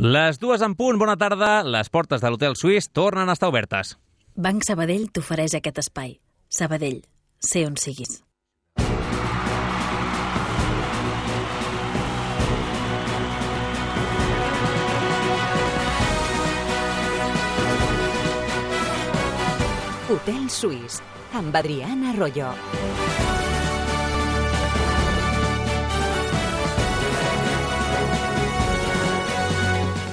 Les 2 en punt, bona tarda. Les portes de l'Hotel Suís tornen a estar obertes. Banc Sabadell t'ofereix aquest espai. Sabadell, sé on siguis. Hotel Suís, amb Adriana Arroyo.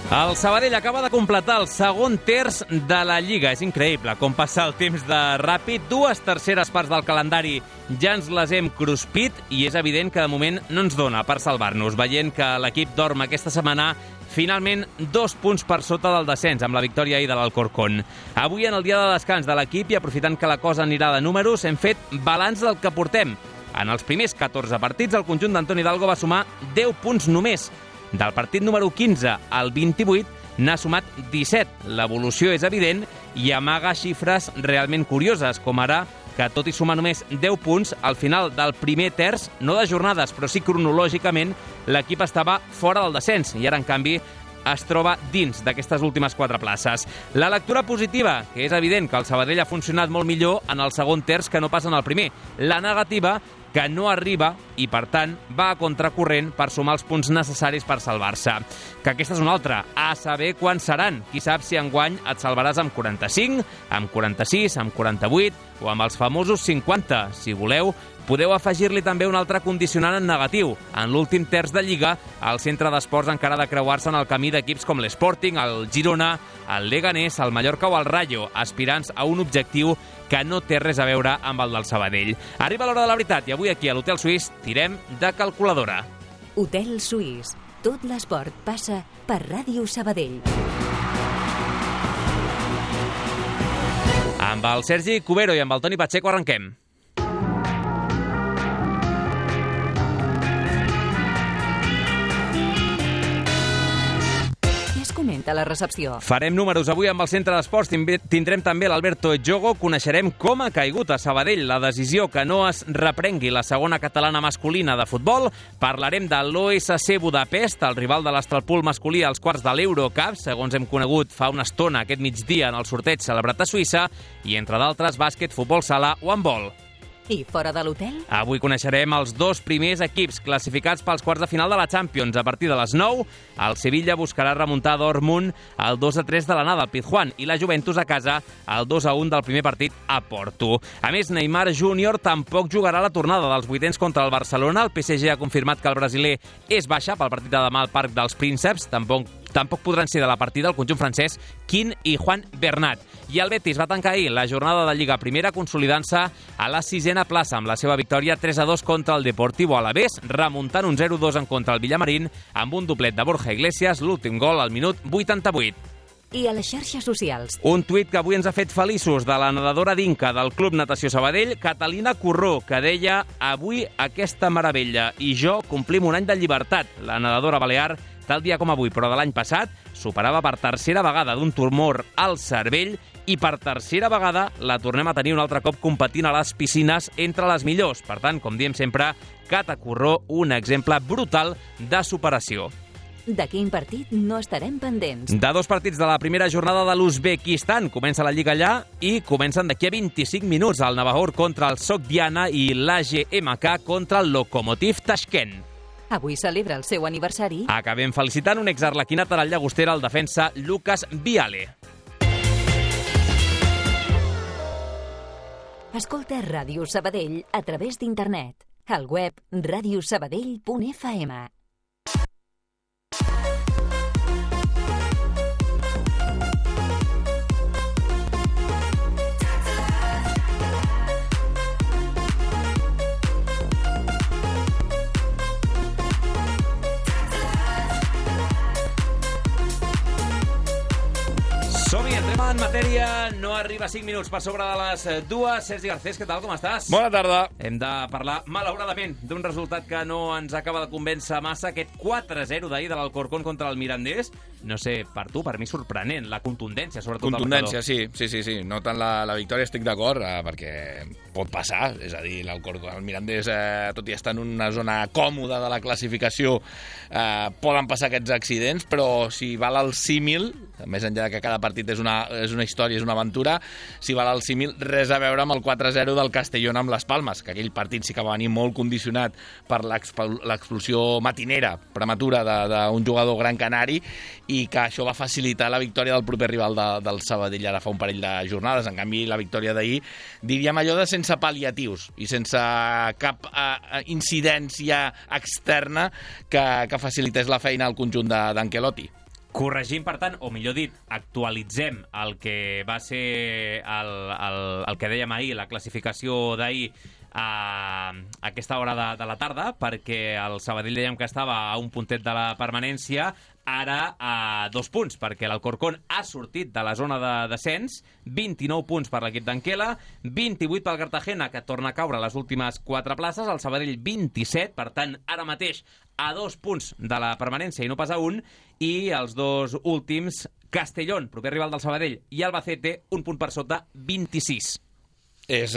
El Sabadell acaba de completar el segon terç de la Lliga. És increïble com passa el temps de ràpid. 2 terceres parts del calendari ja ens les hem cruspit i és evident que de moment no ens dona per salvar-nos. Veient que l'equip dorm aquesta setmana, finalment 2 punts per sota del descens amb la victòria ahir de l'Alcorcón. Avui, en el dia de descans de l'equip i aprofitant que la cosa anirà de números, hem fet balanç del que portem. En els primers 14 partits, el conjunt d'Antoni Hidalgo va sumar 10 punts només. Del partit número 15 al 28 n'ha sumat 17. L'evolució és evident i amaga xifres realment curioses, com ara que, tot i sumar només 10 punts, al final del primer terç, no de jornades, però sí cronològicament, l'equip estava fora del descens i ara, en canvi, es troba dins d'aquestes últimes 4 places. La lectura positiva, que és evident que el Sabadell ha funcionat molt millor en el segon terç que no pas en el primer. La negativa, que no arriba i, per tant, va a contracorrent per sumar els punts necessaris per salvar-se. Que aquesta és una altra. A saber quan seran. Qui sap si enguany et salvaràs amb 45, amb 46, amb 48 o amb els famosos 50. Si voleu, podeu afegir-li també un altre condicionant en negatiu. En l'últim terç de Lliga, el centre d'esports encara ha de creuar-se en el camí d'equips com l'Sporting, el Girona, el Leganés, el Mallorca o el Rayo, aspirants a un objectiu que no té res a veure amb el del Sabadell. Arriba l'hora de la veritat i avui aquí a l'Hotel Suís tirem de calculadora. Hotel Suís. Tot l'esport passa per Ràdio Sabadell. Amb el Sergi Cubero i amb el Toni Pacheco arrenquem. Comenta la recepció. Farem números avui amb el centre d'esports. Tindrem també l'Alberto Jogo. Coneixerem com ha caigut a Sabadell la decisió que no es reprengui la segona catalana masculina de futbol. Parlarem de l'OSC Budapest, el rival de l'Estralpool masculí als quarts de l'Eurocup, segons hem conegut fa una estona aquest migdia en el sorteig celebrat a Suïssa, i entre d'altres bàsquet, futbol sala o handbol. I fora de l'hotel? Avui coneixerem els 2 primers equips classificats pels quarts de final de la Champions. A partir de les 9, el Sevilla buscarà remuntar a Dortmund el 2-3 de l'anada al Pizjuán i la Juventus a casa el 2-1 del primer partit a Porto. A més, Neymar Júnior tampoc jugarà la tornada dels vuitens contra el Barcelona. El PSG ha confirmat que el brasiler és baixa pel partit de demà al Parc dels Prínceps. Tampoc podran ser de la partida el conjunt francès Quin i Juan Bernat. I el Betis va tancar ahir la jornada de Lliga Primera consolidant-se a la 6a plaça amb la seva victòria 3-2 contra el Deportivo Alavés, remuntant un 0-2 en contra el Villamarín amb un doblet de Borja Iglesias, l'últim gol al minut 88. I a les xarxes socials. Un tuit que avui ens ha fet feliços de la nedadora d'Inca del Club Natació Sabadell, Catalina Corró, que deia: avui aquesta meravella i jo complim un any de llibertat. La nedadora balear, tal dia com avui, però de l'any passat, superava per tercera vegada d'un tumor al cervell i per tercera vegada la tornem a tenir un altre cop competint a les piscines entre les millors. Per tant, com diem sempre, Cata Corró, un exemple brutal de superació. De quin partit no estarem pendents? De 2 partits de la primera jornada de l'Uzbekistan. Comença la Lliga allà i comencen d'aquí a 25 minuts el Navahor contra el Sogdiana i l'AGMK contra el Lokomotiv Tashkent. Avui celebra el seu aniversari. Acabem felicitant un exarlequinat a la Llagostera, el defensa Lucas Viale. Escolta Ràdio Sabadell a través d'internet. Al web radiosabadell.fm. Som Som-hi, entrem en matèria, no arriba 5 minuts per sobre de les 2. Sergi Garcés, què tal, com estàs? Bona tarda. Hem de parlar, malauradament, d'un resultat que no ens acaba de convèncer massa, aquest 4-0 d'ahir de l'Alcorcón contra el Mirandés. No sé, per tu, per mi sorprenent, la contundència, sobretot Contundència, sí. No tant la victòria, estic d'acord, perquè pot passar, és a dir, l'Alcorcón, el Mirandés, tot i estar en una zona còmoda de la classificació, poden passar aquests accidents, però si val el símil, més enllà que cada partit és una història, és una aventura, si val el símil, res a veure amb el 4-0 del Castellón amb les Palmes, que aquell partit sí que va venir molt condicionat per l'explosió matinera, prematura, d'un jugador gran canari, i que això va facilitar la victòria del proper rival del Sabadell ara fa un parell de jornades. En canvi, la victòria d'ahir, diríem allò de sense pal·liatius i sense cap incidència externa que facilités la feina al conjunt d'Ancelotti. Corregim, per tant, o millor dit, actualitzem el que va ser el que dèiem ahir, la classificació d'ahir, a aquesta hora de la tarda, perquè el Sabadell dèiem que estava a un puntet de la permanència, ara a 2 punts, perquè l'Alcorcón ha sortit de la zona de descens, 29 punts per l'equip d'Anquela, 28 pel Cartagena, que torna a caure a les últimes 4 places, el Sabadell 27, per tant, ara mateix a 2 punts de la permanència i no pas a 1, i els 2 últims, Castellón, proper rival del Sabadell, i Albacete, un punt per sota, 26. És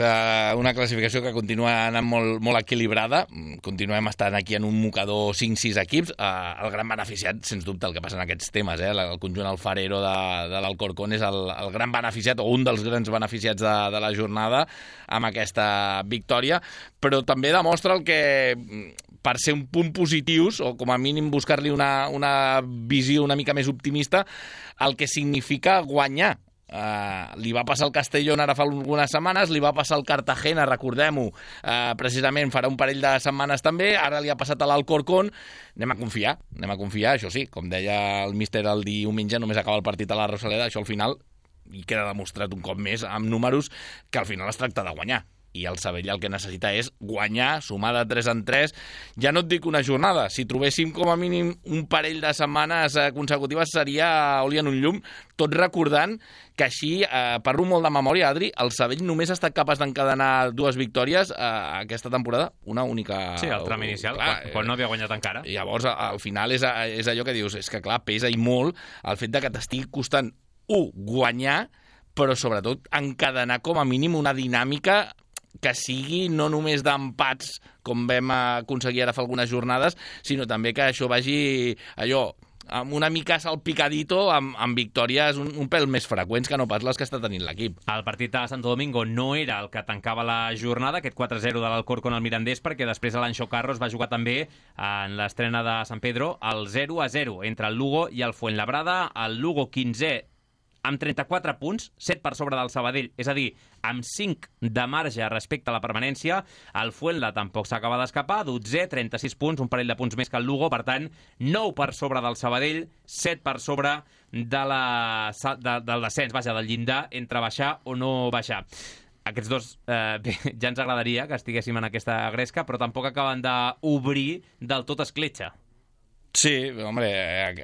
una classificació que continua anant molt equilibrada. Continuem estant aquí en un mocador 5-6 equips. El gran beneficiat, sens dubte, el que passa en aquests temes, el conjunt alfarero de l'Alcorcón és el gran beneficiat, o un dels grans beneficiats de la jornada amb aquesta victòria, però també demostra el que, per ser un punt positius, o com a mínim buscar-li una visió una mica més optimista, el que significa guanyar. Li va passar al Castellón ara fa algunes setmanes, li va passar al Cartagena, recordem-ho, precisament farà un parell de setmanes també, ara li ha passat a l'Alcorcón. Anem a confiar, això sí, com deia el míster el diumenge, només acaba el partit a la Rosaleda, això al final, i queda demostrat un cop més amb números, que al final es tracta de guanyar. I el Sabadell el que necessita és guanyar, sumar de 3 en 3. Ja no et dic una jornada, si trobéssim com a mínim un parell de setmanes consecutives seria oli en un llum, tot recordant que així, parlo molt de memòria, Adri, el Sabadell només ha estat capaç d'encadenar 2 victòries aquesta temporada, una única... Sí, el tram inicial, quan no havia guanyat encara. Llavors, al final és allò que dius, és que clar, pesa i molt el fet de que t'estigui costant, guanyar, però sobretot encadenar com a mínim una dinàmica que sigui no només d'empats, com vam aconseguir ara fa algunes jornades, sinó també que això vagi allò, amb una mica salpicadito, amb victòries un pèl més freqüents que no pas les que està tenint l'equip. El partit de Santo Domingo no era el que tancava la jornada, aquest 4-0 de l'Alcorcón al Mirandés, perquè després l'Anxo Carros va jugar també en l'estrena de San Pedro el 0-0 entre el Lugo i el Fuenlabrada. El Lugo 15è amb 34 punts, 7 per sobre del Sabadell, és a dir, amb 5 de marge respecte a la permanència. El Fuenla tampoc s'acaba d'escapar, 12è, 36 punts, un parell de punts més que el Lugo, per tant, 9 per sobre del Sabadell, 7 per sobre del descens, vaja, del llindar entre baixar o no baixar. Aquests dos ja ens agradaria que estiguéssim en aquesta gresca, però tampoc acaben d'obrir del tot escletxa. Sí, home,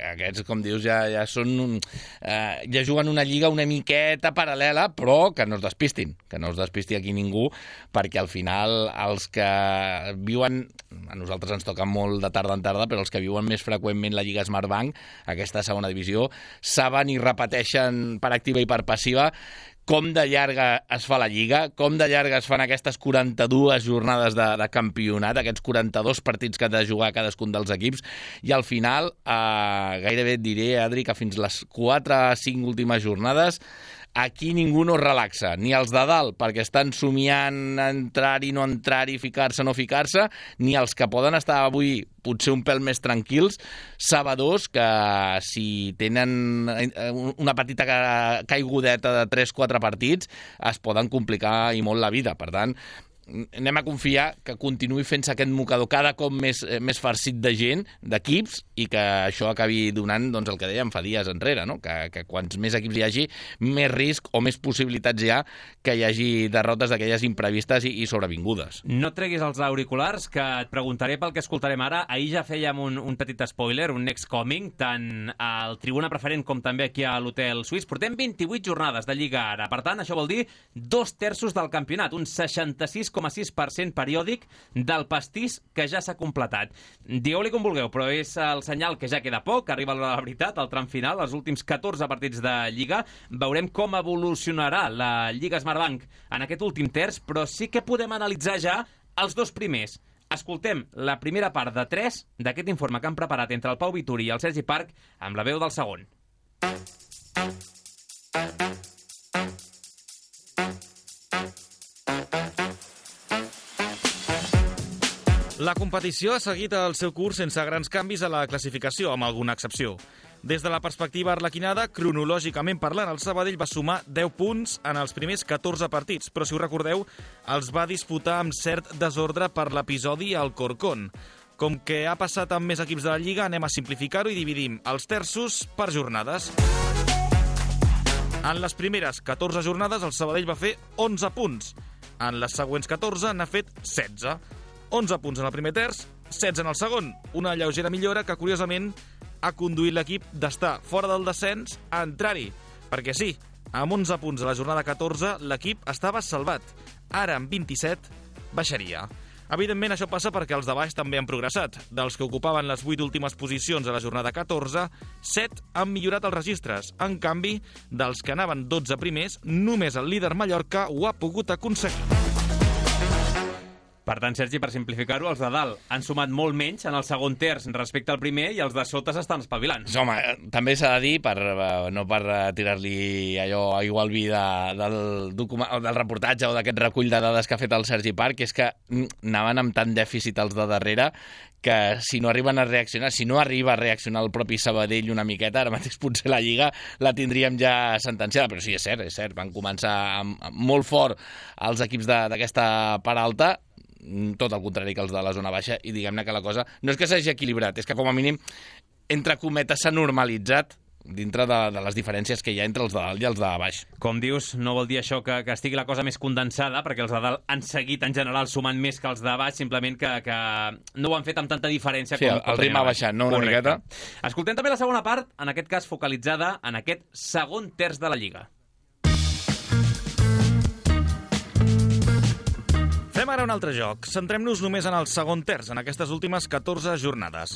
aquests, com dius, ja són... ja juguen una lliga una miqueta paral·lela, però que no es despistin, que no es despisti aquí ningú, perquè al final els que viuen... A nosaltres ens toca molt de tarda en tarda, però els que viuen més freqüentment la Lliga Smartbank, aquesta segona divisió, saben i repeteixen per activa i per passiva com de llarga es fa la Lliga, com de llarga es fan aquestes 42 jornades de campionat, aquests 42 partits que ha de jugar cadascun dels equips, i al final, gairebé et diré, Adri, que fins les 4 o 5 últimes jornades aquí ningú no es relaxa, ni els de dalt, perquè estan somiant entrar-hi, no entrar-hi, ficar-se, no ficar-se, ni els que poden estar avui potser un pèl més tranquils, sabedors que si tenen una petita caigudeta de 3-4 partits es poden complicar i molt la vida. Per tant, anem a confiar que continuï fent-se aquest mocador cada cop més farcit de gent, d'equips, i que això acabi donant doncs, el que dèiem fa dies enrere, no? Que quants més equips hi hagi, més risc o més possibilitats hi ha que hi hagi derrotes d'aquelles imprevistes i sobrevingudes. No treguis els auriculars, que et preguntaré pel que escoltarem ara. Ahir ja fèiem un petit spoiler, un next coming, tant al Tribuna Preferent com també aquí a l'Hotel Suís. Portem 28 jornades de Lliga ara. Per tant, això vol dir 2/3 del campionat, un 66,6% periòdic del pastís que ja s'ha completat. Digueu-li com vulgueu, però és el senyal que ja queda poc, que arriba la veritat, al tram final, els últims 14 partits de Lliga. Veurem com evolucionarà la Lliga Smartbank en aquest últim terç, però sí que podem analitzar ja els dos primers. Escoltem la primera part de 3 d'aquest informe que han preparat entre el Pau Vituri i el Sergi Parc amb la veu del segon. La competició ha seguit el seu curs sense grans canvis a la classificació, amb alguna excepció. Des de la perspectiva arlequinada, cronològicament parlant, el Sabadell va sumar 10 punts en els primers 14 partits, però si us recordeu, els va disputar amb cert desordre per l'episodi al Corcón. Com que ha passat amb més equips de la Lliga, anem a simplificar-ho i dividim els terços per jornades. En les primeres 14 jornades, el Sabadell va fer 11 punts. En les següents 14 n'ha fet 16. 11 punts en el primer terç, 16 en el segon. Una lleugera millora que, curiosament, ha conduït l'equip d'estar fora del descens a entrar-hi. Perquè sí, amb 11 punts a la jornada 14, l'equip estava salvat. Ara, amb 27, baixaria. Evidentment, això passa perquè els de baix també han progressat. Dels que ocupaven les 8 últimes posicions a la jornada 14, 7 han millorat els registres. En canvi, dels que anaven 12 primers, només el líder Mallorca ho ha pogut aconseguir. Per tant, Sergi, per simplificar-ho, els de dalt han sumat molt menys en el segon terç respecte al primer i els de sota s'estan espavilant. Home, també s'ha de dir, no per tirar-li allò aigua al vi del reportatge o d'aquest recull de dades que ha fet el Sergi Parc, que és que anaven amb tant dèficit els de darrere que si no arriben a reaccionar, si no arriba a reaccionar el propi Sabadell una miqueta, ara mateix potser la Lliga la tindríem ja sentenciada, però sí, és cert, van començar molt fort els equips d'aquesta part alta, tot el contrari que els de la zona baixa, i diguem-ne que la cosa no és que s'hagi equilibrat, és que com a mínim entre cometes s'ha normalitzat dintre de les diferències que hi ha entre els de dalt i els de baix. Com dius, no vol dir això que estigui la cosa més condensada, perquè els de dalt han seguit en general sumant més que els de baix, simplement que no ho han fet amb tanta diferència. Sí, el ritme ha baixat, no? Una miqueta. Escoltem també la segona part, en aquest cas focalitzada en aquest segon terç de la Lliga. Fem ara un altre joc. Centrem-nos només en el segon terç, en aquestes últimes 14 jornades.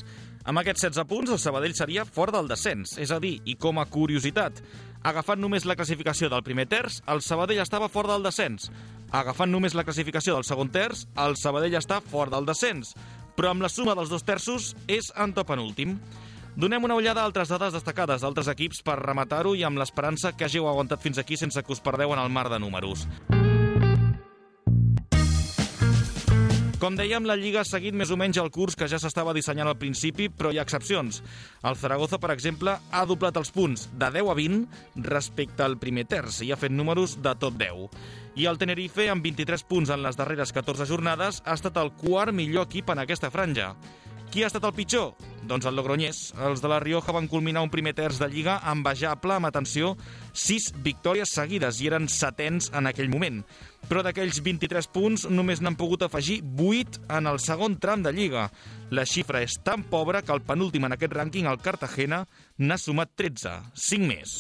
Amb aquests 16 punts, el Sabadell seria fora del descens. És a dir, i com a curiositat, agafant només la classificació del primer terç, el Sabadell estava fora del descens. Agafant només la classificació del segon terç, el Sabadell està fora del descens. Però amb la suma dels dos terços és antepenúltim. Donem una ullada a altres dades destacades d'altres equips per rematar-ho i amb l'esperança que hàgiu aguantat fins aquí sense que us perdeu en el mar de números. Com dèiem, la Lliga ha seguit més o menys el curs que ja s'estava dissenyant al principi, però hi ha excepcions. El Zaragoza, per exemple, ha doblat els punts de 10 a 20 respecte al primer terç i ha fet números de top 10. I el Tenerife, amb 23 punts en les darreres 14 jornades, ha estat el quart millor equip en aquesta franja. Qui ha estat el pitjor? Doncs el Logroñés. Els de la Rioja van culminar un primer terç de Lliga envejable, amb atenció, 6 victòries seguides i eren setens en aquell moment. Però d'aquells 23 punts només n'han pogut afegir 8 en el segon tram de Lliga. La xifra és tan pobra que el penúltim en aquest rànquing, el Cartagena, n'ha sumat 13, 5 més.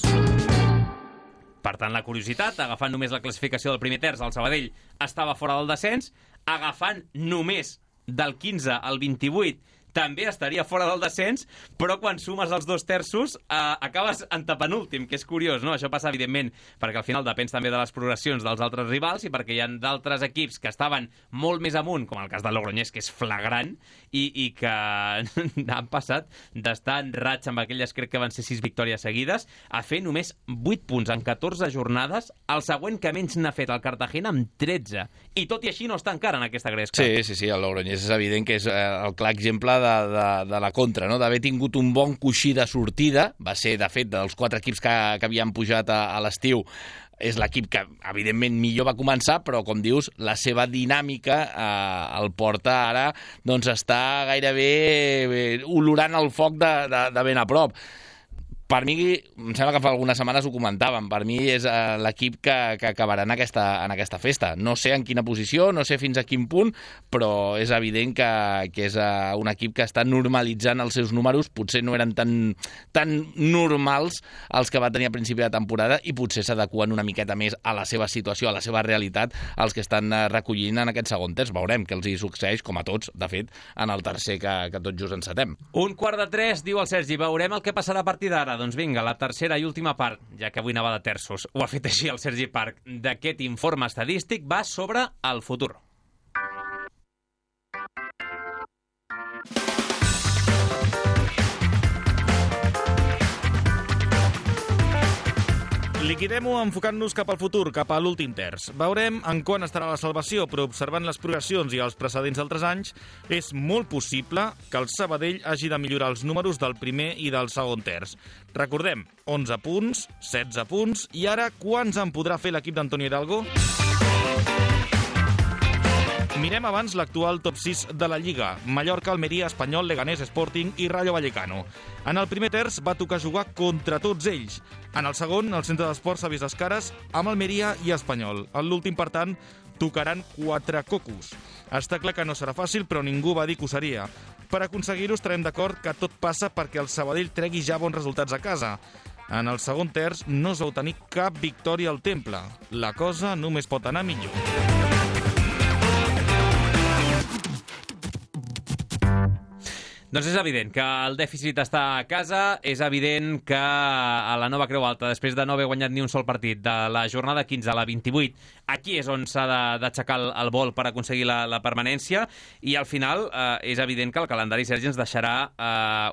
Per tant, la curiositat, agafant només la classificació del primer terç, el Sabadell estava fora del descens, agafant només del 15 al 28 també estaria fora del descens, però quan sumes els dos terços acabes antepenúltim, que és curiós, no? Això passa, evidentment, perquè al final depèn també de les progressions dels altres rivals i perquè hi ha d'altres equips que estaven molt més amunt, com el cas del Logroñés, que és flagrant, i que han passat d'estar en raig amb aquelles, crec que van ser 6 victòries seguides, a fer només 8 punts en 14 jornades, el següent que menys n'ha fet el Cartagena amb 13. I tot i així no està encara en aquesta gresca. Sí, el Logroñés és evident que és el clar exemple de la contra, no? D'haver tingut un bon coixí de sortida. Va ser, de fet, dels 4 equips que havien pujat a l'estiu, és l'equip que, evidentment, millor va començar, però, com dius, la seva dinàmica el porta ara, doncs, està gairebé olorant el foc de ben a prop. Per mi, em sembla que fa algunes setmanes ho comentàvem, per mi és l'equip que acabarà en aquesta festa. No sé en quina posició, no sé fins a quin punt, però és evident que és un equip que està normalitzant els seus números. Potser no eren tan normals els que va tenir a principi de temporada i potser s'adeqüen una miqueta més a la seva situació, a la seva realitat, els que estan recollint en aquest segon terç. Veurem què els hi succeeix, com a tots, de fet, en el tercer que tot just encetem. 2:45, diu el Sergi. Veurem el que passarà a partir d'ara. Doncs vinga, la tercera i última part, ja que avui anava de terços, ho ha fet així el Sergi Parc, d'aquest informe estadístic va sobre el futur. Liquidem-ho enfocant-nos cap al futur, cap a l'últim terç. Veurem en quan estarà la salvació, però observant les progressions i els precedents d'altres anys, és molt possible que el Sabadell hagi de millorar els números del primer i del segon terç. Recordem, 11 punts, 16 punts, i ara quants en podrà fer l'equip d'Antonio Hidalgo? Mirem abans l'actual top 6 de la Lliga. Mallorca, Almeria, Espanyol, Leganés, Sporting i Rayo Vallecano. En el primer terç va tocar jugar contra tots ells. En el segon, el centre d'esports s'ha vist les cares amb Almeria i Espanyol. En l'últim, per tant, tocaran 4 cocos. Està clar que no serà fàcil, però ningú va dir que ho seria. Per aconseguir-ho estarem d'acord que tot passa perquè el Sabadell tregui ja bons resultats a casa. En el segon terç no es vau tenir cap victòria al Temple. La cosa només pot anar millor. Doncs és evident que el dèficit està a casa, és evident que a la nova Creu Alta, després de no haver guanyat ni un sol partit, de la jornada 15 a la 28, aquí és on s'ha d'aixecar el vol per aconseguir la permanència, i al final és evident que el calendari, Sergi, ens deixarà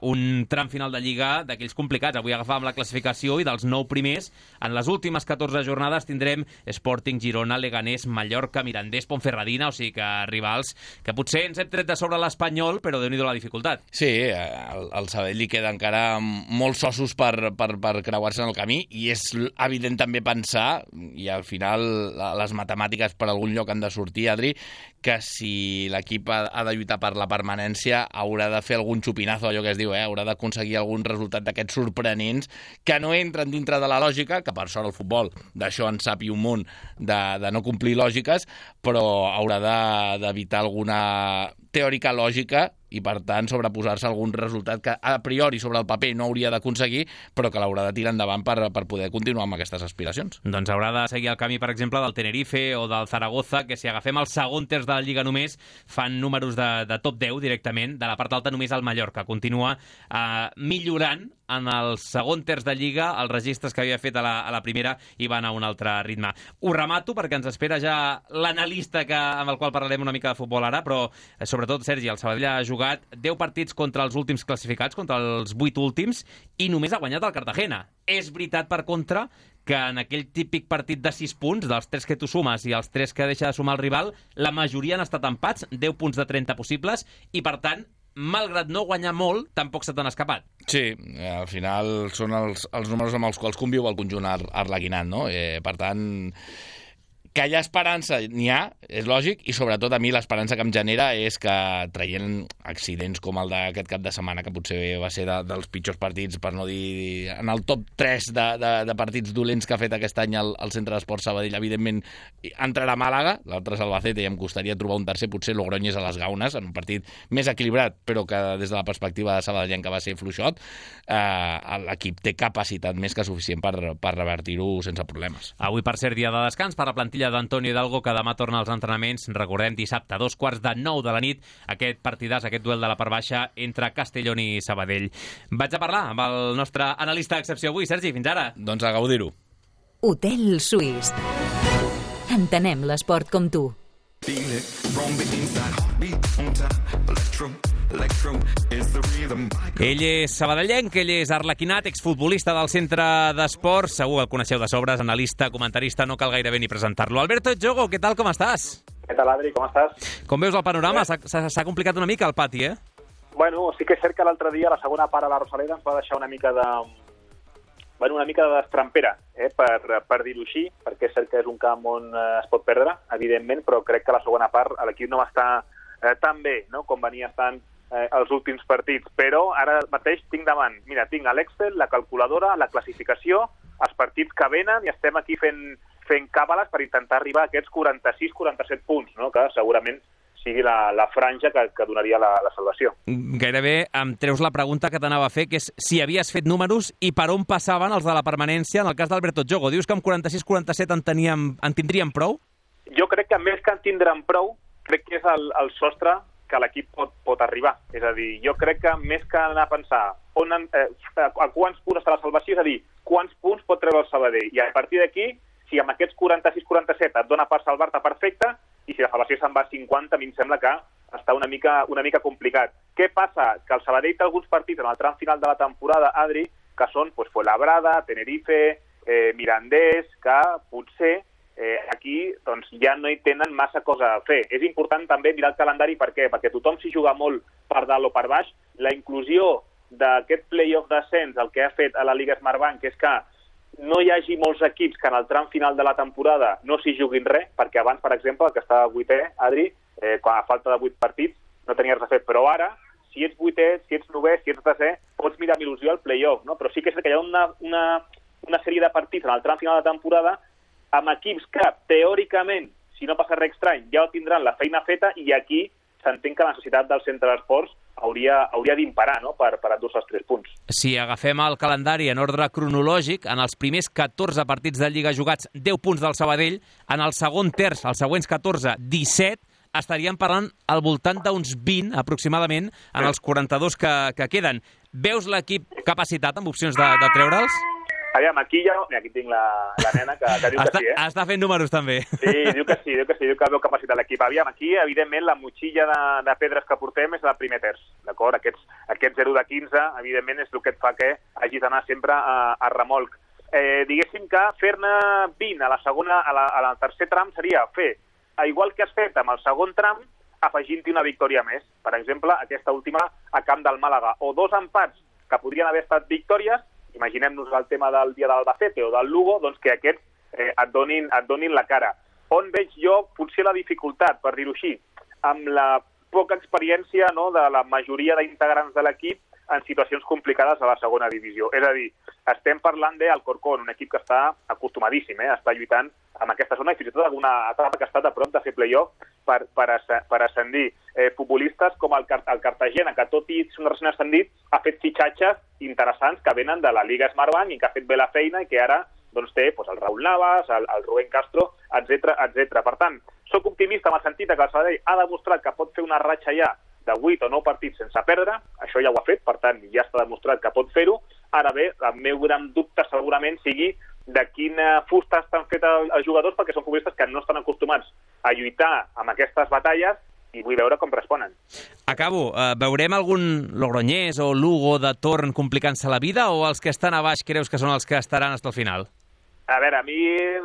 un tram final de Lliga d'aquells complicats. Avui agafàvem la classificació i dels 9 primers, en les últimes 14 jornades tindrem Sporting, Girona, Leganés, Mallorca, Mirandés, Ponferradina, o sigui que rivals que potser ens hem tret de sobre l'Espanyol, però déu-n'hi-do la dificultat. Sí, al Sabadell li queda encara molts ossos per creuar-se en el camí, i és evident també pensar, i al final les matemàtiques per algun lloc han de sortir, Adri, que si l'equip ha de lluitar per la permanència haurà de fer algun xupinazo, allò que es diu, haurà d'aconseguir algun resultat d'aquests sorprenents que no entren dintre de la lògica, que per sort el futbol d'això en sap i un munt de no complir lògiques, però haurà d'evitar alguna teòrica lògica i, per tant, sobreposar-se a algun resultat que a priori sobre el paper no hauria d'aconseguir, però que l'haurà de tirar endavant per poder continuar amb aquestes aspiracions. Doncs haurà de seguir el camí, per exemple, del Tenerife o del Zaragoza, que si agafem el segon terç de la Lliga només, fan números de top 10 directament. De la part alta només el Mallorca continua millorant en el segon terç de Lliga els registres que havia fet a la primera i van a un altre ritme. Ho remato perquè ens espera ja l'analista amb el qual parlarem una mica de futbol ara, però sobretot, Sergi, el Sabadell ha jugat 10 partits contra els últims classificats, contra els 8 últims, i només ha guanyat el Cartagena. És veritat, per contra, que en aquell típic partit de 6 punts, dels 3 que tu sumes i els 3 que deixa de sumar el rival, la majoria han estat empats, 10 punts de 30 possibles, i per tant, malgrat no guanyar molt, tampoc se t'han escapat. Sí, al final són els números amb els quals conviu el conjunt arlequinat, no? Per tant, que hi ha esperança, n'hi ha, és lògic, i sobretot a mi l'esperança que em genera és que, traient accidents com el d'aquest cap de setmana, que potser va ser dels pitjors partits, per no dir en el top 3 de partits dolents que ha fet aquest any el Centre d'Esports Sabadell, evidentment entrarà a Màlaga, l'altre és Albacete, i em costaria trobar un tercer, potser Logroñés a les Gaunes, en un partit més equilibrat, però que des de la perspectiva de sabadellenca va ser fluixot. L'equip té capacitat més que suficient per revertir-ho sense problemes. Avui, per ser dia de descans, per la plantilla d'Antonio Hidalgo, que demà torna als entrenaments. Recordem, dissabte, 9:15 de la nit, aquest partidàs, aquest duel de la part baixa entre Castellón i Sabadell. Vaig a parlar amb el nostre analista d'excepció avui. Sergi, fins ara. Doncs a gaudir-ho. Hotel Suís. Entenem l'esport com tu. Ell és sabadellenc, ell és arlequinat, exfutbolista del Centre d'Esports, segur que el coneixeu de sobres, analista, comentarista, no cal gairebé ni presentar-lo. Alberto Jogo, què tal, com estàs? Què tal, Adri, com estàs? Com veus el panorama? S'ha complicat una mica el pati, eh? Bueno, sí que és cert que l'altre dia, la segona part a la Rosaleda, ens va deixar una mica de destrampera, per dir-ho així, perquè és cert que és un camp on es pot perdre, evidentment, però crec que la segona part l'equip no va estar tan bé, no?, com venia estant els últims partits. Però ara mateix tinc davant, mira, tinc l'Excel, la calculadora, la classificació, els partits que venen, i estem aquí fent càbales per intentar arribar a aquests 46-47 punts, no?, que segurament sigui la franja que donaria la salvació. Gairebé em treus la pregunta que t'anava a fer, que és si havies fet números i per on passaven els de la permanència en el cas d'Alberto Jogo. Dius que amb 46-47 en tindríem prou? Jo crec que més que en tindrem prou, crec que és el sostre que l'equip pot arribar. És a dir, jo crec que més que anar a pensar a quants punts està la salvació, és a dir, quants punts pot treure el Sabadell. I a partir d'aquí, si amb aquests 46-47 et dona per salvar-te perfecte, i si la salvació se'n va a 50, a mi em sembla que està una mica complicat. Què passa? Que el Sabadell té alguns partits en el tram final de la temporada, Adri, que són Fuenlabrada, Tenerife, Mirandés, que potser aquí doncs, ja no hi tenen massa cosa a fer. És important també mirar el calendari, per què? Perquè tothom s'hi juga molt per dalt o per baix. La inclusió d'aquest play-off d'ascens, el que ha fet a la Lliga Smartbank, és que no hi hagi molts equips que en el tram final de la temporada no s'hi juguin res, perquè abans, per exemple, el que estava 8è, Adri, quan a falta de 8 partits, no tenia res a fer. Però ara, si ets 8è, si ets 9è, si ets 10è, pots mirar amb il·lusió el play-off, no? Però sí que és que hi ha una sèrie de partits en el tram final de temporada amb equips que, teòricament, si no passa res estrany, ja tindran la feina feta, i aquí s'entén que la necessitat del centre d'esports hauria d'imperar, no?, per endur-se els 3 punts. Si agafem el calendari en ordre cronològic, en els primers 14 partits de Lliga jugats, 10 punts del Sabadell, en el segon terç, els següents 14, 17, estaríem parlant al voltant d'uns 20, aproximadament, en els 42 que queden. Veus l'equip capacitat amb opcions de treure'ls? Aviam, aquí tinc la nena que diu que sí, Està fent números, també. Sí, diu que veu capacitat l'equip. Aviam, aquí, evidentment, la motxilla de pedres que portem és el primer terç, d'acord? Aquest 0 de 15, evidentment, és el que et fa que hagis d'anar sempre a remolc. Diguéssim que fer-ne 20 al tercer tram seria fer, igual que has fet amb el segon tram, afegint-hi una victòria més. Per exemple, aquesta última a camp del Màlaga. O 2 empats que podrien haver estat victòries, imaginem-nos el tema del dia d'Albacete o del Lugo, doncs que aquests et donin la cara. On veig jo potser la dificultat, per dir-ho així, amb la poca experiència, no, de la majoria d'integrants de l'equip en situacions complicades a la segona divisió. És a dir, estem parlant d'Alcorcón, un equip que està acostumadíssim, està lluitant amb aquesta zona, i fins i tot alguna etapa que ha estat a prop de fer play-off per ascendir. Futbolistes com el Cartagena, que tot i ser un recent ascendit, ha fet fitxatges interessants que venen de la Lliga Smartbank i que ha fet bé la feina i que ara doncs, té el Raúl Navas, el Rubén Castro, etc. Per tant, soc optimista en el sentit que el Sabadell ha demostrat que pot fer una ratxa ja de 8 o 9 partits sense perdre, això ja ho ha fet, per tant, ja està demostrat que pot fer-ho. Ara bé, el meu gran dubte segurament sigui de quina fusta estan fets els jugadors, perquè són futbolistes que no estan acostumats a lluitar amb aquestes batalles, i vull veure com responen. Acabo. Veurem algun Logroñés o Lugo de torn complicant-se la vida, o els que estan a baix creus que són els que estaran fins al final? A veure, a mi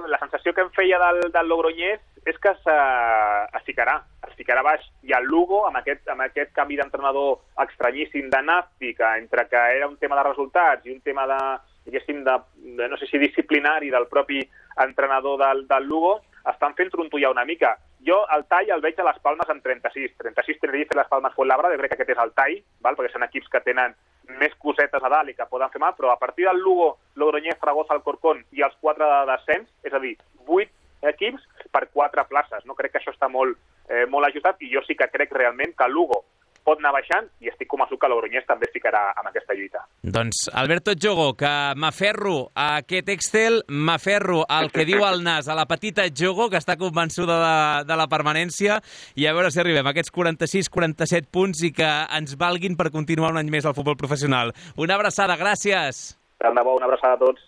la sensació que em feia del Logroñés és que es ficarà baix. I el Lugo, amb aquest canvi d'entrenador estranyíssim de Nafti, que entre que era un tema de resultats i un tema de no sé si disciplinari del propi entrenador del Lugo, estan fent trontollar una mica. Jo el tall el veig a les Palmes amb 36 Tenerife, les Palmes Fuenlabrada, crec que aquest és el tall, perquè són equips que tenen més cosetes a dalt i que poden fer mal, però a partir del Lugo, Logroñés, Zaragoza, Alcorcón i els 4 de descens, és a dir, 8 equips per 4 places. No crec que això està molt ajustat, i jo sí que crec realment que el Lugo pot anar baixant, i estic convençut que Logroñés també es ficarà en aquesta lluita. Doncs, Alberto Jogo, que m'aferro a aquest Excel, m'aferro al que diu el Nas, a la petita Jogo, que està convençuda de la permanència, i a veure si arribem a aquests 46-47 punts i que ens valguin per continuar un any més al futbol professional. Una abraçada, gràcies! Tant de bo, una abraçada a tots.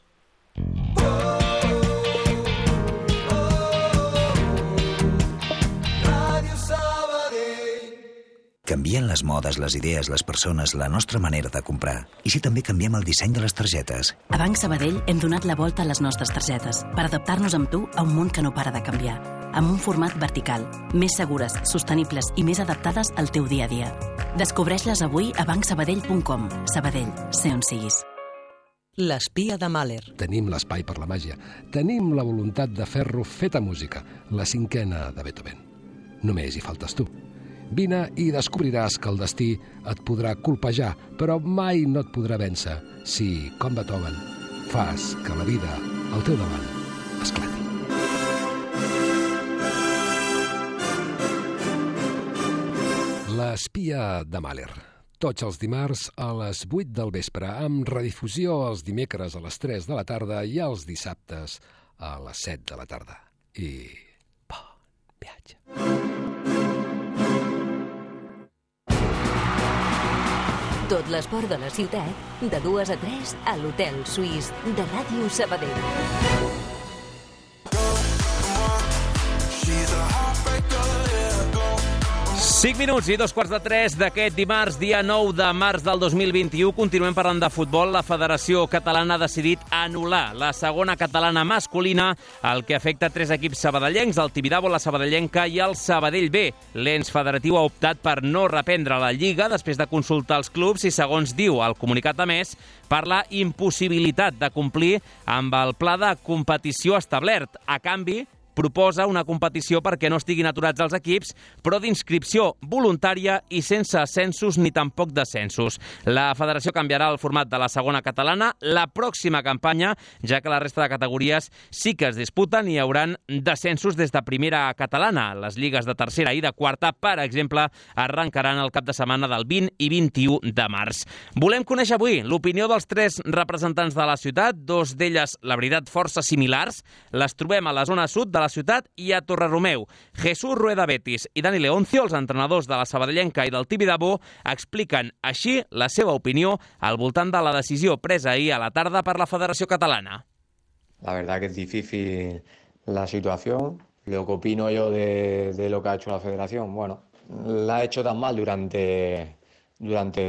Canvien les modes, les idees, les persones, la nostra manera de comprar. I si també canviem el disseny de les targetes? A Banc Sabadell hem donat la volta a les nostres targetes per adaptar-nos amb tu a un món que no para de canviar. amb un format vertical, més segures, sostenibles i més adaptades al teu dia a dia. Descobreix-les avui a bancsabadell.com. Sabadell, sé on siguis. L'espia de Mahler. Tenim l'espai per la màgia. Tenim la voluntat de fer-lo feta música, la 5a de Beethoven. Només hi faltes tu. Vine i descobriràs que el destí et podrà colpejar, però mai no et podrà vèncer si, com Beethoven, fas que la vida al teu davant esclati. L'espia de Mahler. Tots els dimarts a les 8 del vespre, amb redifusió els dimecres a les 3 de la tarda i els dissabtes a les 7 de la tarda. I bon viatge. Tot l'esport de la ciutat, de 2 a 3 a l'Hotel Suís de Ràdio Sabadell. Cinc minuts i 2:45 d'aquest dimarts, dia 9 de març del 2021. Continuem parlant de futbol. La Federació Catalana ha decidit anul·lar la segona catalana masculina, el que afecta 3 equips sabadellencs, el Tibidabo, la Sabadellenca i el Sabadell B. L'ens federatiu ha optat per no reprendre la Lliga després de consultar els clubs i, segons diu el comunicat emès, per la impossibilitat de complir amb el pla de competició establert. A canvi, proposa una competició perquè no estiguin aturats els equips, però d'inscripció voluntària i sense ascensos ni tampoc descensos. La federació canviarà el format de la segona catalana la pròxima campanya, ja que la resta de categories sí que es disputen i hi hauran descensos des de primera catalana. Les lligues de tercera i de quarta, per exemple, arrencaran el cap de setmana del 20 i 21 de març. Volem conèixer avui l'opinió dels 3 representants de la ciutat, 2 d'elles, la veritat, força similars. Les trobem a la zona sud de la ciutat i a Torreromeu. Jesús Rueda Betis i Dani Leoncio, els entrenadors de la Sabadellenca i del Tibidabo, expliquen així la seva opinió al voltant de la decisió presa ahir a la tarda per la Federació Catalana. La verdad que es difícil la situación. Lo que opino yo de lo que ha hecho la Federación, bueno, la ha hecho tan mal durante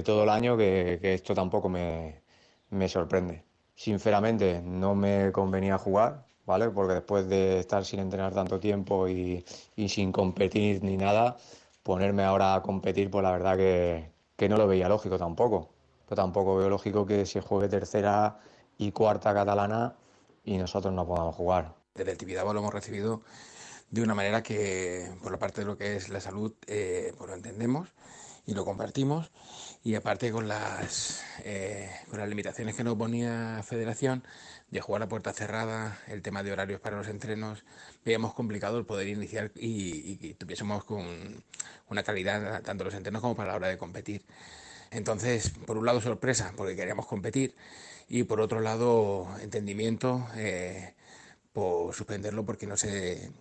todo el año que esto tampoco me sorprende. Sinceramente, no me convenía jugar, ¿vale? Porque después de estar sin entrenar tanto tiempo y sin competir ni nada, ponerme ahora a competir, pues la verdad que no lo veía lógico tampoco. Pero tampoco veo lógico que se juegue tercera y cuarta catalana y nosotros no podamos jugar. Desde el Tibidabo lo hemos recibido de una manera que, por la parte de lo que es la salud, pues lo entendemos y lo compartimos. Y aparte con las limitaciones que nos ponía Federación, de jugar a puerta cerrada, el tema de horarios para los entrenos, veíamos complicado el poder iniciar y tuviésemos con una calidad tanto los entrenos como para la hora de competir. Entonces, por un lado sorpresa, porque queríamos competir, y por otro lado entendimiento por suspenderlo porque no se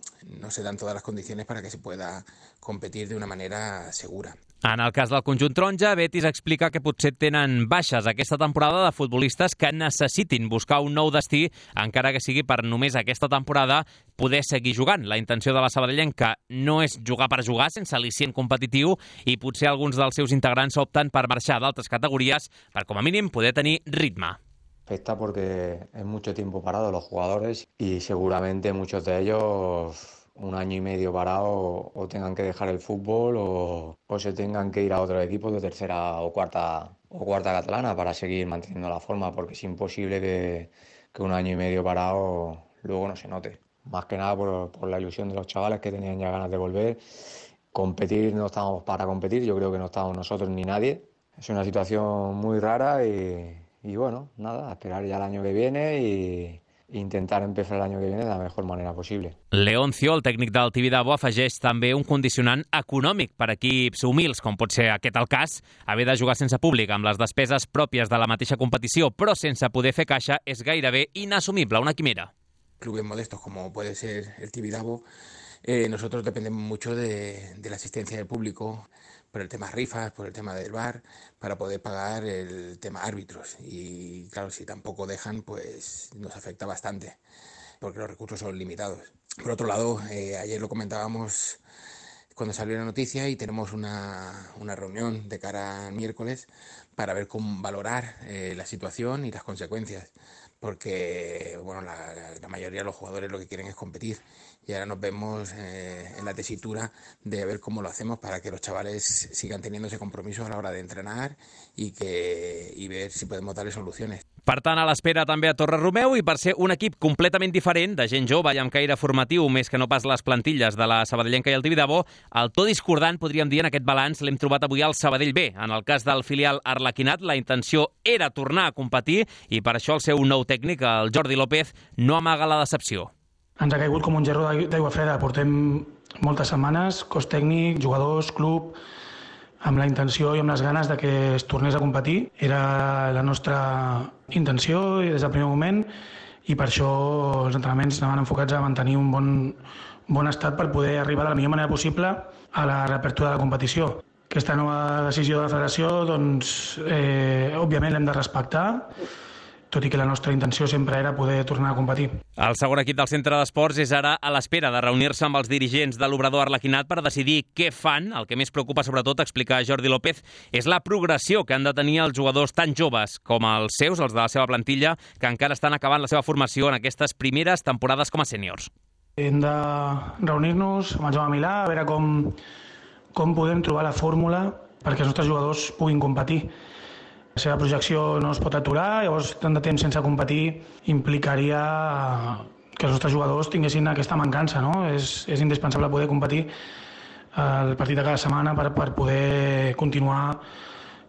dan todas las condiciones para que se pueda competir de una manera segura. En el cas del conjunt taronja, Betis explica que potser tenen baixes aquesta temporada de futbolistes que necessitin buscar un nou destí, encara que sigui per només aquesta temporada poder seguir jugant. La intenció de la Sabadellenca no és jugar per jugar sense al·licient competitiu i potser alguns dels seus integrants opten per marxar d'altres categories per, com a mínim, poder tenir ritme. Afecta porque es mucho tiempo parado los jugadores y seguramente muchos de ellos un año y medio parado o tengan que dejar el fútbol o se tengan que ir a otros equipos de tercera o cuarta catalana para seguir manteniendo la forma, porque es imposible que un año y medio parado luego no se note. Más que nada por la ilusión de los chavales que tenían ya ganas de volver. Competir, no estábamos para competir, yo creo que no estábamos nosotros ni nadie. Es una situación muy rara y bueno, nada, a esperar ya el año que viene y intentar empezar el año que viene de la mejor manera possible. Leoncio, el tècnic del Tibidabo, afegeix també un condicionant econòmic per equips humils, com pot ser aquest el cas. Haver de jugar sense públic amb les despeses pròpies de la mateixa competició, però sense poder fer caixa, és gairebé inassumible, una quimera. Clubes modestos como puede ser el Tibidabo, nosotros dependemos mucho de la asistencia del público, por el tema rifas, por el tema del bar, para poder pagar el tema árbitros. Y claro, si tampoco dejan, pues nos afecta bastante, porque los recursos son limitados. Por otro lado, ayer lo comentábamos cuando salió la noticia y tenemos una reunión de cara al miércoles para ver cómo valorar la situación y las consecuencias. porque bueno, la mayoría de los jugadores lo que quieren es competir, y ahora nos vemos en la tesitura de ver cómo lo hacemos para que los chavales sigan teniendo ese compromiso a la hora de entrenar y ver si podemos darle soluciones. Per tant, a l'espera també a Torre Romeu, i per ser un equip completament diferent, de gent jove i amb caire formatiu, més que no pas les plantilles de la Sabadellenca i el Tibidabo, el to discordant, podríem dir, en aquest balanç l'hem trobat avui al Sabadell B. En el cas del filial arlequinat, la intenció era tornar a competir, i per això el seu nou tècnic, el Jordi López, no amaga la decepció. Ens ha caigut com un gerro d'aigua freda. Portem moltes setmanes, cos tècnic, jugadors, club, amb la intenció i amb les ganes de que es tornés a competir. Era la nostra intenció des del primer moment, i per això els entrenaments anaven enfocats a mantenir un bon estat per poder arribar de la millor manera possible a la reapertura de la competició. Aquesta nova decisió de la federació, doncs, òbviament l'hem de respectar, tot i que la nostra intenció sempre era poder tornar a competir. El segon equip del centre d'esports és ara a l'espera de reunir-se amb els dirigents de l'Obrador arlequinat per decidir què fan. El que més preocupa, sobretot, explica Jordi López, és la progressió que han de tenir els jugadors tan joves com els seus, els de la seva plantilla, que encara estan acabant la seva formació en aquestes primeres temporades com a sèniors. Hem de reunir-nos amb el Jaume Milà, a veure com podem trobar la fórmula perquè els nostres jugadors puguin competir. La seva projecció no es pot aturar, llavors tant de temps sense competir implicaria que els nostres jugadors tinguessin aquesta mancança, no? És indispensable poder competir el partit de cada setmana per poder continuar,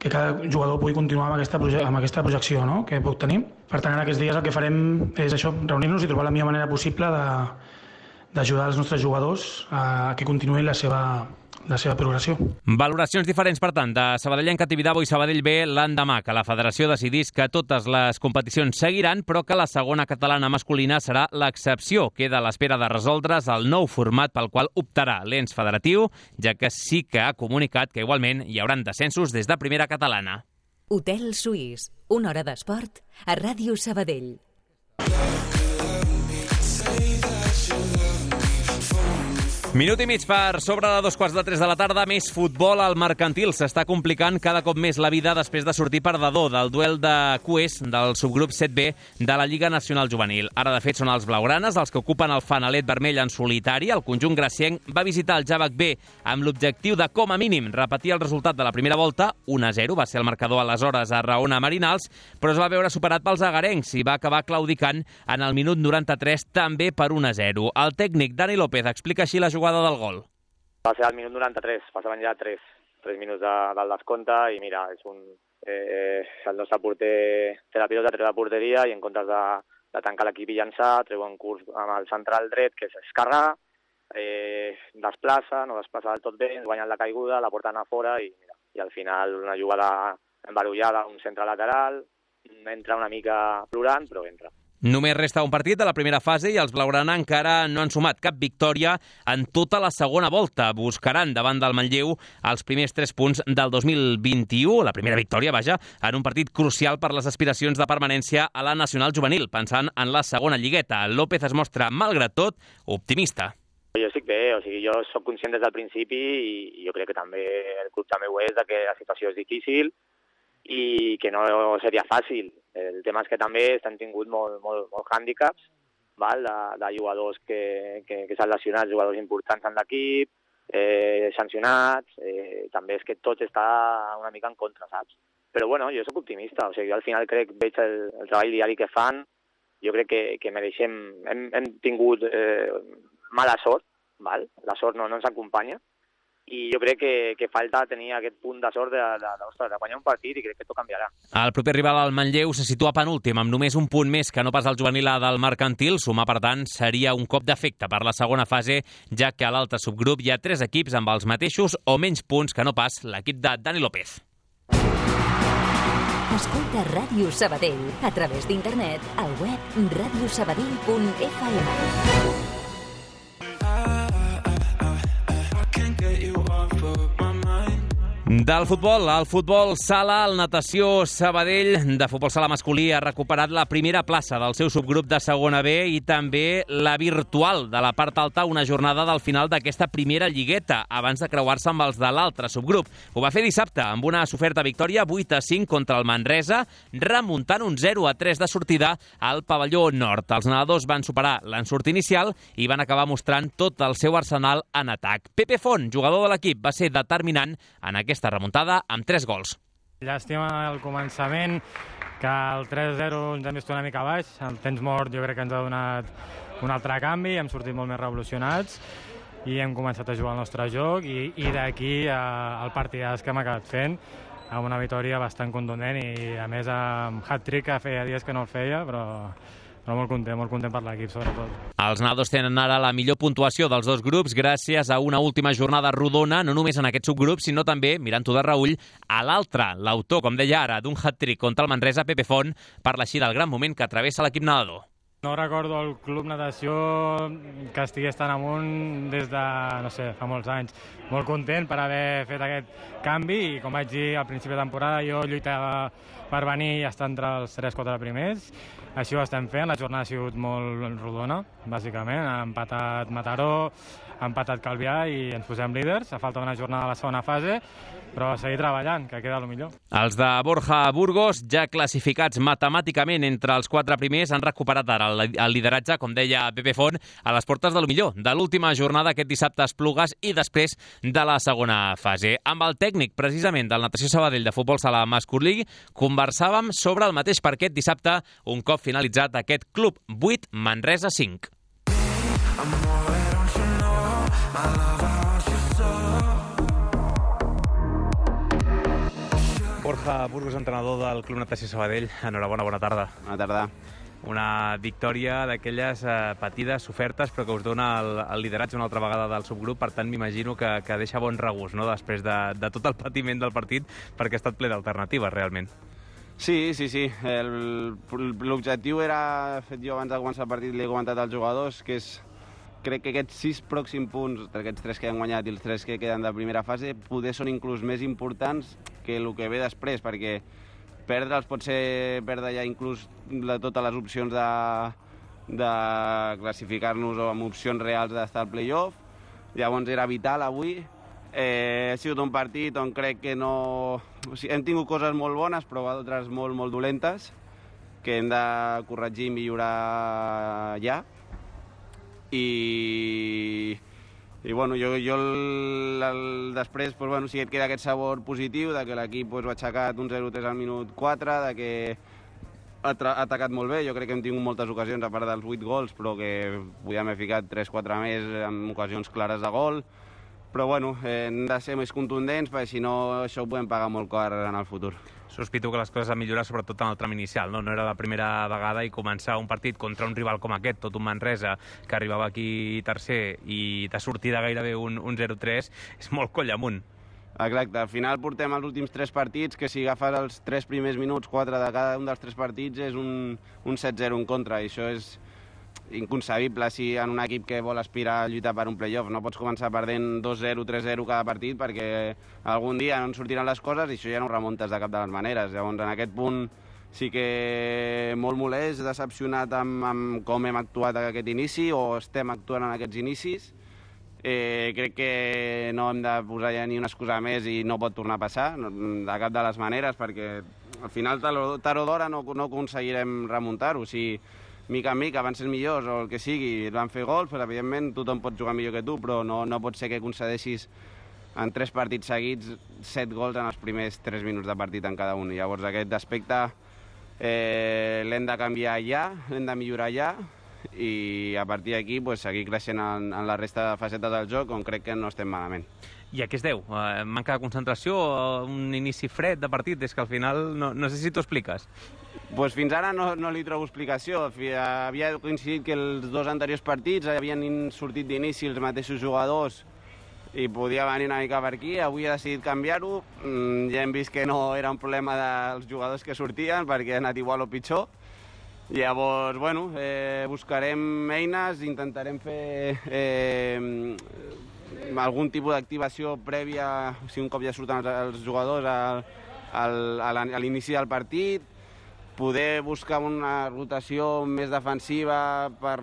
que cada jugador pugui continuar amb aquesta projecció, no?, que pot tenir. Per tant, en aquests dies el que farem és això, reunir-nos i trobar la millor manera possible d'ajudar els nostres jugadors a que continuïn la seva progressió. Valoracions diferents, per tant, de Sabadellenca, Tibidabo i Sabadell B l'endemà que la federació decidís que totes les competicions seguiran, però que la segona catalana masculina serà l'excepció. Queda a l'espera de resoldre's el nou format pel qual optarà l'ens federatiu, ja que sí que ha comunicat que igualment hi hauran descensos des de primera catalana. Hotel Suís, una hora d'esport a Ràdio Sabadell. Minut i mig per sobre de 2:15 de la tarda. Més futbol. Al Mercantil s'està complicant cada cop més la vida després de sortir perdedor del duel de cues del subgrup 7B de la Lliga Nacional Juvenil. Ara, de fet, són els blaugranes els que ocupen el fanalet vermell en solitari. El conjunt gracienc va visitar el Javac B amb l'objectiu de, com a mínim, repetir el resultat de la primera volta. 1-0 va ser el marcador aleshores a Raona Marinals, però es va veure superat pels agarencs i va acabar claudicant en el minut 93 també per 1-0. El tècnic Dani López explica així la jugada del gol. Va ser al minut 93, passaven ja 3 minuts del descompte i mira, el nostre porter té la pilota, treu la porteria i en comptes de tancar l'equip i llançar, treu un curs amb el central dret que s'escarga, desplaça, no desplaça del tot bé, ens guanyen la caiguda, la porten a fora i al final una jugada embarullada, un centre lateral, entra una mica plorant, però entra. Només resta un partit de la primera fase i els blaugrana encara no han sumat cap victòria en tota la segona volta. Buscaran davant del Manlleu els primers 3 punts del 2021, la primera victòria, vaja, en un partit crucial per les aspiracions de permanència a la Nacional Juvenil, pensant en la segona lligueta. López es mostra, malgrat tot, optimista. Jo estic bé, jo soc conscient des del principi i jo crec que també el club també ho és, que la situació és difícil i que no seria fàcil. El tema és que també s'han tingut molts hàndicaps de jugadors que s'han lesionat, jugadors importants en l'equip, sancionats, també és que tot està una mica en contra, saps? Però bueno, jo soc optimista, jo al final veig el treball diari que fan, jo crec que mereixem, hem tingut mala sort, la sort no ens acompanya, i jo crec que falta tenir aquest punt de sort de guanyar un partit i crec que tot canviarà. El proper rival, el Manlleu, se situa penúltim amb només un punt més que no pas el juvenil A del Mercantil. Sumar, per tant, seria un cop d'efecte per la segona fase, ja que a l'altre subgrup hi ha 3 equips amb els mateixos o menys punts que no pas l'equip de Dani López. Escolta Ràdio Sabadell a través d'internet al web radiosabadell.fm. Del futbol, al futbol sala, el Natació Sabadell de futbol sala masculí ha recuperat la primera plaça del seu subgrup de segona B i també la virtual de la part alta, una jornada del final d'aquesta primera lligueta, abans de creuar-se amb els de l'altre subgrup. Ho va fer dissabte amb una soferta victòria 8-5 contra el Manresa, remuntant un 0-3 de sortida al pavelló nord. Els nedadors van superar l'ensurt inicial i van acabar mostrant tot el seu arsenal en atac. Pepe Font, jugador de l'equip, va ser determinant en aquesta remuntada amb 3 gols. Llàstima al començament, que el 3-0 ens hem vist una mica baix. El temps mort jo crec que ens ha donat un altre canvi, hem sortit molt més revolucionats i hem començat a jugar el nostre joc i d'aquí el partidàs que hem acabat fent amb una victòria bastant contundent i a més amb hat-trick, que feia dies que no el feia, però molt content per l'equip, sobretot. Els nedadors tenen ara la millor puntuació dels dos grups gràcies a una última jornada rodona, no només en aquest subgrup, sinó també, mirant-ho de reüll, a l'altre. L'autor, com deia ara, d'un hat-trick contra el Manresa, Pepe Font, parla així del gran moment que travessa l'equip nedador. No recordo el club natació que estigués tan amunt des de, no sé, fa molts anys. Molt content per haver fet aquest canvi i, com vaig dir al principi de temporada, jo lluitava per venir i estar entre els 3-4 primers. Així ho estem fent, la jornada ha sigut molt rodona, bàsicament. Ha empatat Mataró, ha empatat Calvià i ens posem líders. Ha faltat una jornada a la segona fase, però a seguir treballant, que queda el millor. Els de Borja Burgos, ja classificats matemàticament entre els 4 primers, han recuperat ara el lideratge, com deia Pepe Font, a les portes de lo millor, de l'última jornada aquest dissabte a Esplugues i després de la segona fase. Amb el tècnic, precisament, del Natació Sabadell de futbol sala masculí, conversàvem sobre el mateix parquet dissabte, un cop finalitzat aquest club 8, Manresa 5. Borja Burgos, entrenador del Club Natació Sabadell. Enhorabona, bona tarda. Bona tarda. Una victòria d'aquelles patides, sofertes, però que us dona el lideratge una altra vegada del subgrup. Per tant, m'imagino que deixa bon regust, no?, després de tot el patiment del partit, perquè ha estat ple d'alternatives, realment. Sí. L'objectiu era, fet jo abans de començar el partit, li he comentat als jugadors, que crec que aquests 6 pròxims punts, aquests 3 que han guanyat i els 3 que queden de primera fase, poder són inclús més importants que el que ve després, perquè perdre'ls pot ser perdre ja inclús totes les opcions de classificar-nos o amb opcions reals d'estar al play-off. Llavors era vital avui. Ha sigut un partit on crec que no... O sigui, hem tingut coses molt bones, però altres molt dolentes, que hem de corregir i millorar ja. I bueno, jo després, pues, bueno, sí que et queda aquest sabor positiu de que l'equip pues, ho ha aixecat un 0-3 al minut 4, de que ha atacat molt bé. Jo crec que hem tingut moltes ocasions, a part dels 8 gols, però que podíem haver ficat 3-4 més en ocasions clares de gol. Però bueno, hem de ser més contundents, perquè si no això ho podem pagar molt car en el futur. Sospito que les coses han millorat sobretot en el tram inicial, no? No era la primera vegada i començar un partit contra un rival com aquest, tot un Manresa, que arribava aquí tercer i de sortida gairebé un 0-3, és molt coll amunt. Exacte, al final portem els últims 3 partits, que si agafes els 3 primers minuts, 4 de cada un dels 3 partits, és un 7-0 en contra, i això és inconcebible si en un equip que vol aspirar a lluitar per un play-off. No pots començar perdent 2-0, 3-0 cada partit perquè algun dia no en sortiran les coses i això ja no ho remuntes de cap de les maneres. Llavors, en aquest punt sí que molt molest, decepcionat amb com hem actuat en aquest inici o estem actuant en aquests inicis. Crec que no hem de posar ja ni una excusa més i no pot tornar a passar de cap de les maneres, perquè al final tard o d'hora no aconseguirem remuntar-ho. Si mica en mica van ser millors o el que sigui, van fer gols, però evidentment tothom pot jugar millor que tu, però no pot ser que concedeixis en 3 partits seguits 7 gols en els primers 3 minuts de partit en cada un. Llavors aquest aspecte l'hem de canviar ja, l'hem de millorar ja, i a partir d'aquí pues, seguir creixent en la resta de facetes del joc, on crec que no estem malament. I a què es deu? Manca de concentració? Un inici fred de partit? És que al final no sé si t'ho expliques. Pues fins ara no li trobo explicació. Havia coincidit que els 2 anteriors partits havien sortit d'inici els mateixos jugadors i podia venir una mica per aquí. Avui he decidit canviar-ho. Ja hem vist que no era un problema dels jugadors que sortien, perquè ha anat igual o pitjor. Llavors, bueno, buscarem eines, intentarem fer algun tipus d'activació prèvia, si un cop ja surten els jugadors a l'inici del partit, poder buscar una rotació més defensiva per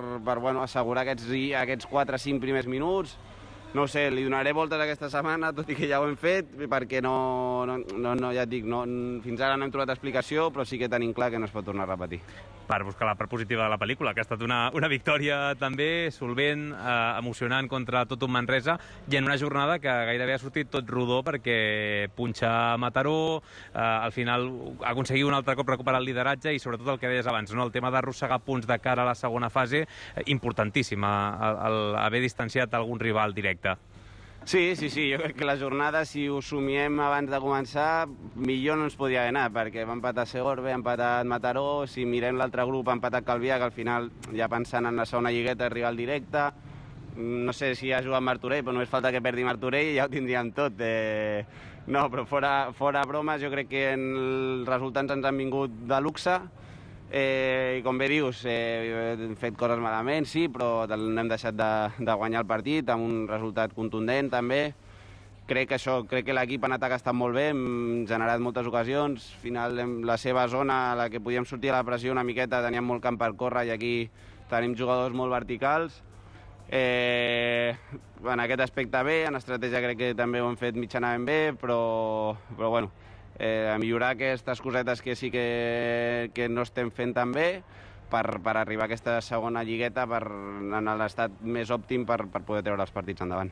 assegurar aquests 4 o 5 primers minuts. No ho sé, li donaré voltes aquesta setmana, tot i que ja ho hem fet, perquè ja et dic, fins ara no hem trobat explicació, però sí que tenim clar que no es pot tornar a repetir. Per buscar la part positiva de la pel·lícula, que ha estat una victòria també solvent, emocionant contra tot un Manresa, i en una jornada que gairebé ha sortit tot rodó perquè punxa Mataró, al final aconseguir un altre cop recuperar el lideratge i sobretot el que deies abans, no? El tema d'arrossegar punts de cara a la segona fase, importantíssim, haver distanciat algun rival directe. Sí, jo crec que la jornada, si ho somiem abans de començar, millor no ens podia haver anat, perquè va empatar Segorbe, ha empatat Mataró, si mirem l'altre grup ha empatat Calvià, que al final, ja pensant en la segona lligueta, rival directe, no sé si ha jugat Martorell, però només falta que perdi Martorell i ja ho tindríem tot. No, però fora bromes, jo crec que els resultats ens han vingut de luxe, i com bé dius, hem fet coses malament, sí, però no hem deixat de guanyar el partit amb un resultat contundent també. Crec que l'equip en atac ha estat molt bé, hem generat moltes ocasions, al final la seva zona, a la que podíem sortir a la pressió una miqueta, teníem molt camp per córrer i aquí tenim jugadors molt verticals. En aquest aspecte bé, en estratègia crec que també ho hem fet mitjanament bé, però bueno, a millorar aquestes cosetes que sí que no estem fent tan bé per arribar a aquesta segona lligueta en l'estat més òptim per poder treure els partits endavant.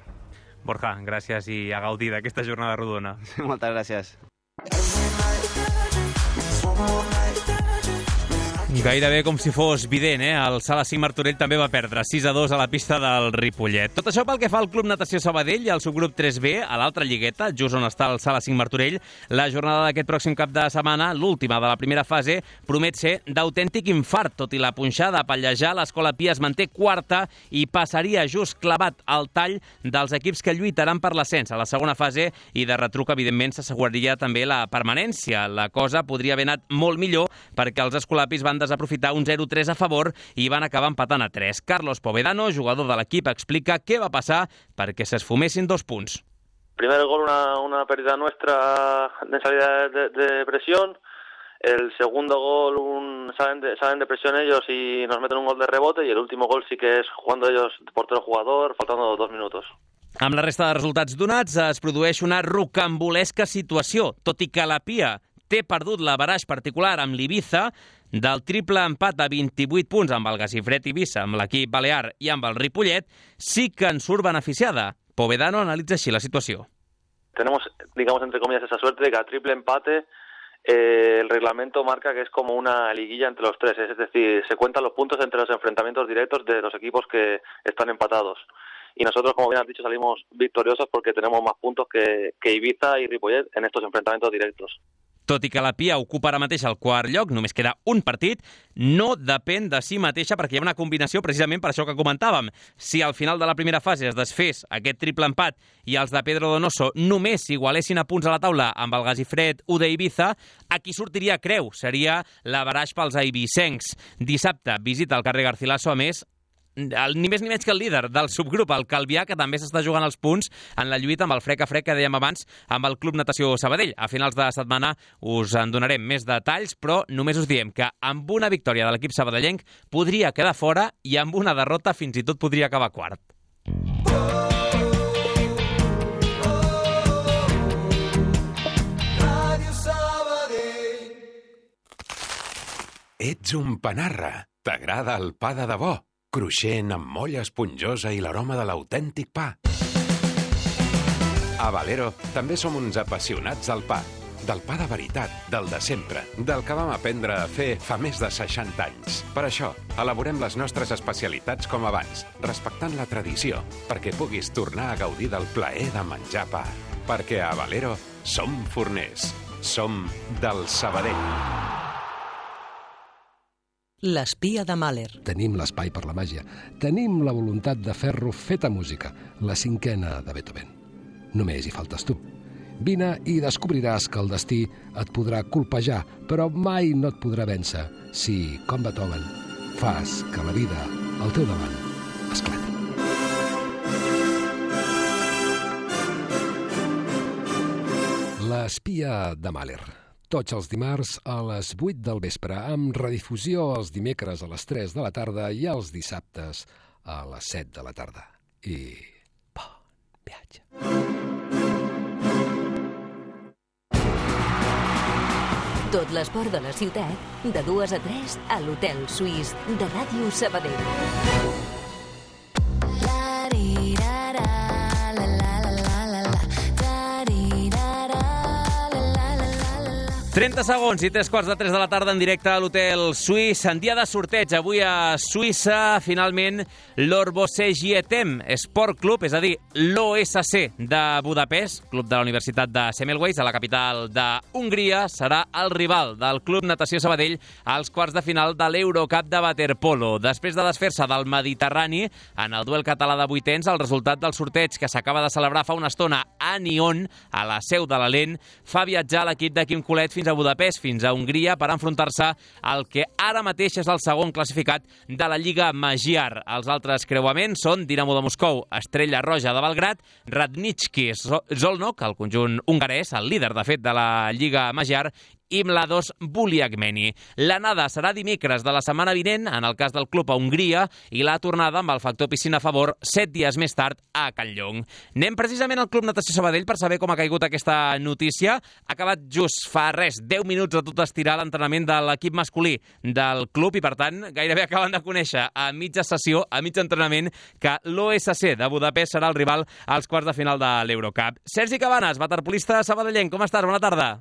Borja, gràcies i a gaudir d'aquesta jornada rodona. Moltes gràcies. Gairebé com si fos vident, el Sala 5 Martorell també va perdre 6-2 a la pista del Ripollet. Tot això pel que fa al Club Natació Sabadell i al subgrup 3B, a l'altra lligueta, just on està el Sala 5 Martorell, la jornada d'aquest pròxim cap de setmana, l'última de la primera fase, promet ser d'autèntic infart. Tot i la punxada a pallejar, l'Escola Pia es manté quarta i passaria just clavat al tall dels equips que lluitaran per l'ascens a la segona fase i de retruc, evidentment, s'asseguraria també la permanència. La cosa podria haver anat molt millor perquè els escolapis van desaprofitar un 0-3 a favor i van acabar empatant a 3. Carlos Povedano, jugador de l'equip, explica què va passar perquè s'esfumessin 2 punts. Primer gol, una pérdida nuestra en salida de presión. El segundo gol salen de presión ellos y nos meten un gol de rebote, y el último gol sí que es jugando ellos portero-jugador, faltando 2 minutos. Amb la resta de resultats donats es produeix una rocambolesca situació, tot i que la Pia té perdut l'averaix particular amb l'Ibiza, del triple empat a 28 punts amb el Gazifred Ibiza, amb l'equip balear i amb el Ripollet, sí que en surt beneficiada. Povedano analitza així la situació. Tenemos, digamos, entre comillas, esa suerte de que a triple empate el reglamento marca que es como una liguilla entre los tres, es decir, se cuentan los puntos entre los enfrentamientos directos de los equipos que están empatados. Y nosotros, como bien has dicho, salimos victoriosos porque tenemos más puntos que Ibiza y Ripollet en estos enfrentamientos directos. Tot i que la Pia ocupa ara mateix el quart lloc, només queda un partit, no depèn de si mateixa perquè hi ha una combinació precisament per això que comentàvem. Si al final de la primera fase es desfés aquest triple empat i els de Pedro Donoso només igualessin a punts a la taula amb el Gazifred UD Ibiza, aquí sortiria creu, seria l'averaix pels eivissencs. Dissabte visita el carrer Garcilaso, a més, ni més ni menys que el líder del subgrup, el Calvià, que també s'està jugant els punts en la lluita amb el frec a frec que dèiem abans amb el Club Natació Sabadell. A finals de setmana us en donarem més detalls, però només us diem que amb una victòria de l'equip sabadellenc podria quedar fora i amb una derrota fins i tot podria acabar quart. Ets un panarra. T'agrada el pa de debò? Cruixent, amb molla esponjosa i l'aroma de l'autèntic pa. A Valero també som uns apassionats del pa. Del pa de veritat, del de sempre, del que vam aprendre a fer fa més de 60 anys. Per això, elaborem les nostres especialitats com abans, respectant la tradició, perquè puguis tornar a gaudir del plaer de menjar pa. Perquè a Valero som forners. Som del Sabadell. L'espia de Mahler. Tenim l'espai per la màgia. Tenim la voluntat de fer-lo feta música, la 5a de Beethoven. Només hi faltes tu. Vine i descobriràs que el destí et podrà colpejar, però mai no et podrà vèncer si, com Beethoven, fas que la vida al teu davant esclati. L'espia de Mahler. Tots els dimarts a les 8 del vespre, amb redifusió els dimecres a les 3 de la tarda i els dissabtes a les 7 de la tarda. I bon viatge. Tot l'esport de la ciutat, de 2 a 3 a l'Hotel Suís de Ràdio Sabadell. 30 segons i 3:15 de la tarda en directe a l'Hotel Suís. En dia de sorteig, avui a Suïssa, finalment, l'Orbosegietem Sport Club, és a dir, l'OSC de Budapest, club de la Universitat de Semmelweis, a la capital d'Hongria, serà el rival del Club Natació Sabadell als quarts de final de l'Eurocup de waterpolo. Després de desfer-se del Mediterrani, en el duel català de vuitens, el resultat del sorteig que s'acaba de celebrar fa una estona a Nyon, a la seu de l'Alent, fa viatjar l'equip de Quim Colet fins a Budapest, fins a Hongria, per enfrontar-se al que ara mateix és el segon classificat de la Lliga Magyar. Els altres creuaments són Dinamo de Moscou, Estrella Roja de Belgrad, Radnički Szolnok, el conjunt hongarès, el líder, de fet, de la Lliga Magyar, i Mladost Buliagmeni. L'anada serà dimecres de la setmana vinent, en el cas del club a Hongria, i la tornada, amb el factor piscina a favor, 7 dies més tard a Campllong. Anem precisament al Club Natació Sabadell per saber com ha caigut aquesta notícia. Ha acabat just fa 10 minuts a tot estirar l'entrenament de l'equip masculí del club i, per tant, gairebé acaben de conèixer a mitja sessió, a mig entrenament, que l'OSC de Budapest serà el rival als quarts de final de l'Eurocup. Sergi Cabanes, waterpolista sabadellenc, com estàs? Bona tarda.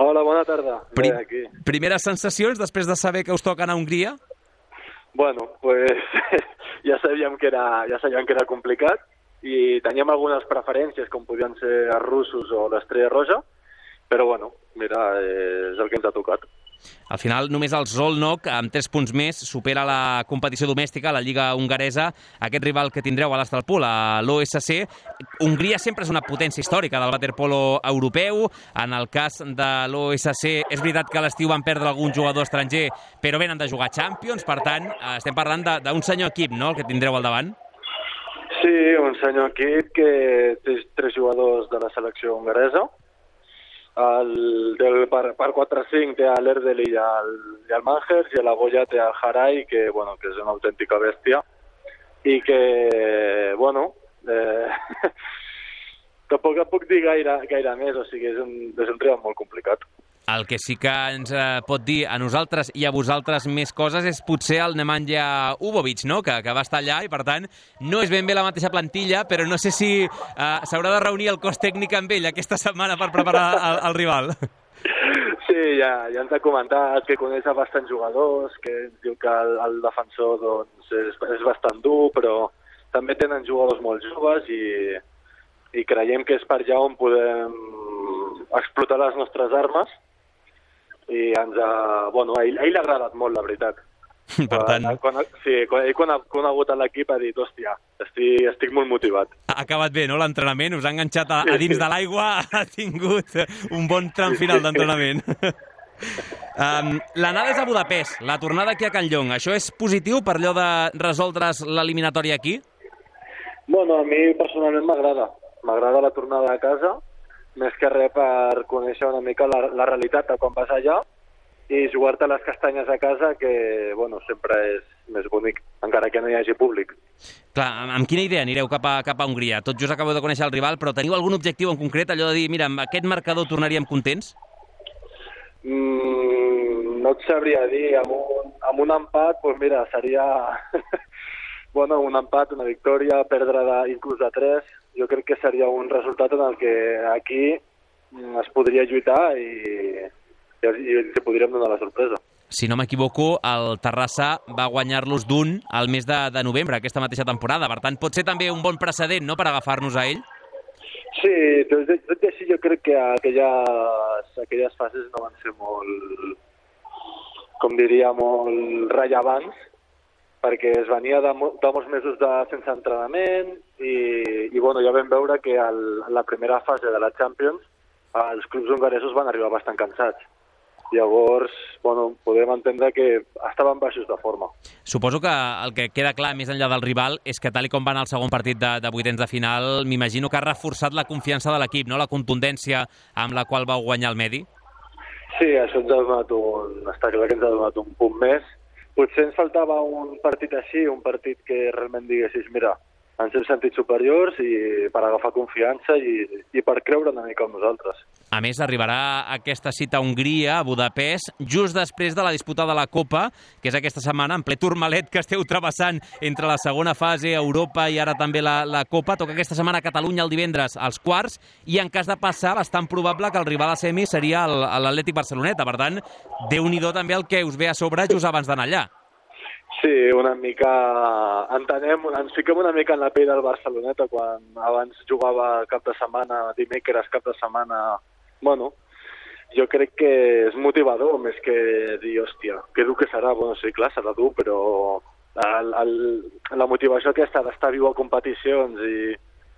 Hola, bona tarda. Aquí. Primeres sensacions després de saber que us toca anar a Hongria? Bueno, pues ja sabíem que era complicat i teníem algunes preferències, com podien ser els russos o l'Estrella Roja, però bueno, mira, és el que ens ha tocat. Al final, només el Szolnok, amb 3 punts més, supera la competició domèstica, la Lliga hongaresa, aquest rival que tindreu a l'Astalpool, a l'OSC. Hongria sempre és una potència històrica del waterpolo europeu. En el cas de l'OSC, és veritat que a l'estiu van perdre algun jugador estranger, però venen de jugar Champions, per tant, estem parlant d'un senyor equip, no?, el que tindreu al davant. Sí, un senyor equip que té 3 jugadors de la selecció hongaresa. Per 4-5 té l'Erdel i el Mangers, i a la Goya té el Haray, que és una autèntica bèstia, i que, tampoc puc dir gaire més, o sigui, és un rival molt complicat. El que sí que ens pot dir a nosaltres i a vosaltres més coses és potser el Nemanja Ubovic, no?, que va estar allà i, per tant, no és ben bé la mateixa plantilla, però no sé si s'haurà de reunir el cos tècnic amb ell aquesta setmana per preparar el rival. Sí, ja ens ha comentat que coneix bastants jugadors, que ens diu que el defensor és bastant dur, però també tenen jugadors molt joves i creiem que és per allà on podem explotar les nostres armes. I a ell li ha agradat molt, la veritat. Per tant... Quan ha conegut l'equip ha dit, hòstia, estic molt motivat. Ha acabat bé, no?, l'entrenament, us ha enganxat a dins de l'aigua, ha tingut un bon tram final d'entrenament. L'anada és a Budapest, la tornada aquí a Campllong. Això és positiu per allò de resoldre's l'eliminatòria aquí? Bueno, a mi personalment m'agrada. M'agrada la tornada a casa, més que res per conèixer una mica la realitat de quan vas allà i jugar-te les castanyes a casa, que sempre és més bonic, encara que no hi hagi públic. Clar, amb quina idea anireu cap a Hongria? Tot just acabeu de conèixer el rival, però teniu algun objectiu en concret, allò de dir, mira, amb aquest marcador tornaríem contents? No et sabria dir, amb un empat, doncs mira, seria un empat, una victòria, perdre inclús de 3, jo crec que seria un resultat en el que aquí es podria lluitar i ens podríem donar la sorpresa. Si no m'equivoco, el Terrassa va guanyar-los d'1 al mes de novembre, aquesta mateixa temporada. Per tant, pot ser també un bon precedent, no?, per agafar-nos a ell? Sí, tot i així jo crec que aquelles fases no van ser molt, com diria, molt rellevants, perquè es venia de molts mesos sense entrenament i ja vam veure que la primera fase de la Champions els clubs hongaresos van arribar bastant cansats. Llavors, podem entendre que estaven baixos de forma. Suposo que el que queda clar, més enllà del rival, és que tal com va anar el segon partit de vuitens de final, m'imagino que ha reforçat la confiança de l'equip, no? La contundència amb la qual vau guanyar el Medi. Sí, això ens ha donat està clar que ens ha donat un punt més. Potser ens faltava un partit així, un partit que realment diguessis, mira, ens hem sentit superiors i per agafar confiança i per creure una mica en nosaltres. A més, arribarà aquesta cita a Hongria, a Budapest, just després de la disputa de la Copa, que és aquesta setmana, en ple turmalet que esteu travessant entre la segona fase, Europa i ara també la Copa. Toca aquesta setmana a Catalunya el divendres als quarts i en cas de passar, bastant probable que el rival a semi seria l'Atlètic Barceloneta. Per tant, Déu-n'hi-do també el que us ve a sobre just abans d'anar allà. Sí, una mica ens fiquem una mica en la pell del Barceloneta quan abans jugava cap de setmana, dimecres, cap de setmana. Bueno, jo crec que és motivador més que dir, hòstia, que dur que serà. Bueno, sí, clar, serà dur, però la motivació aquesta d'estar viu a competicions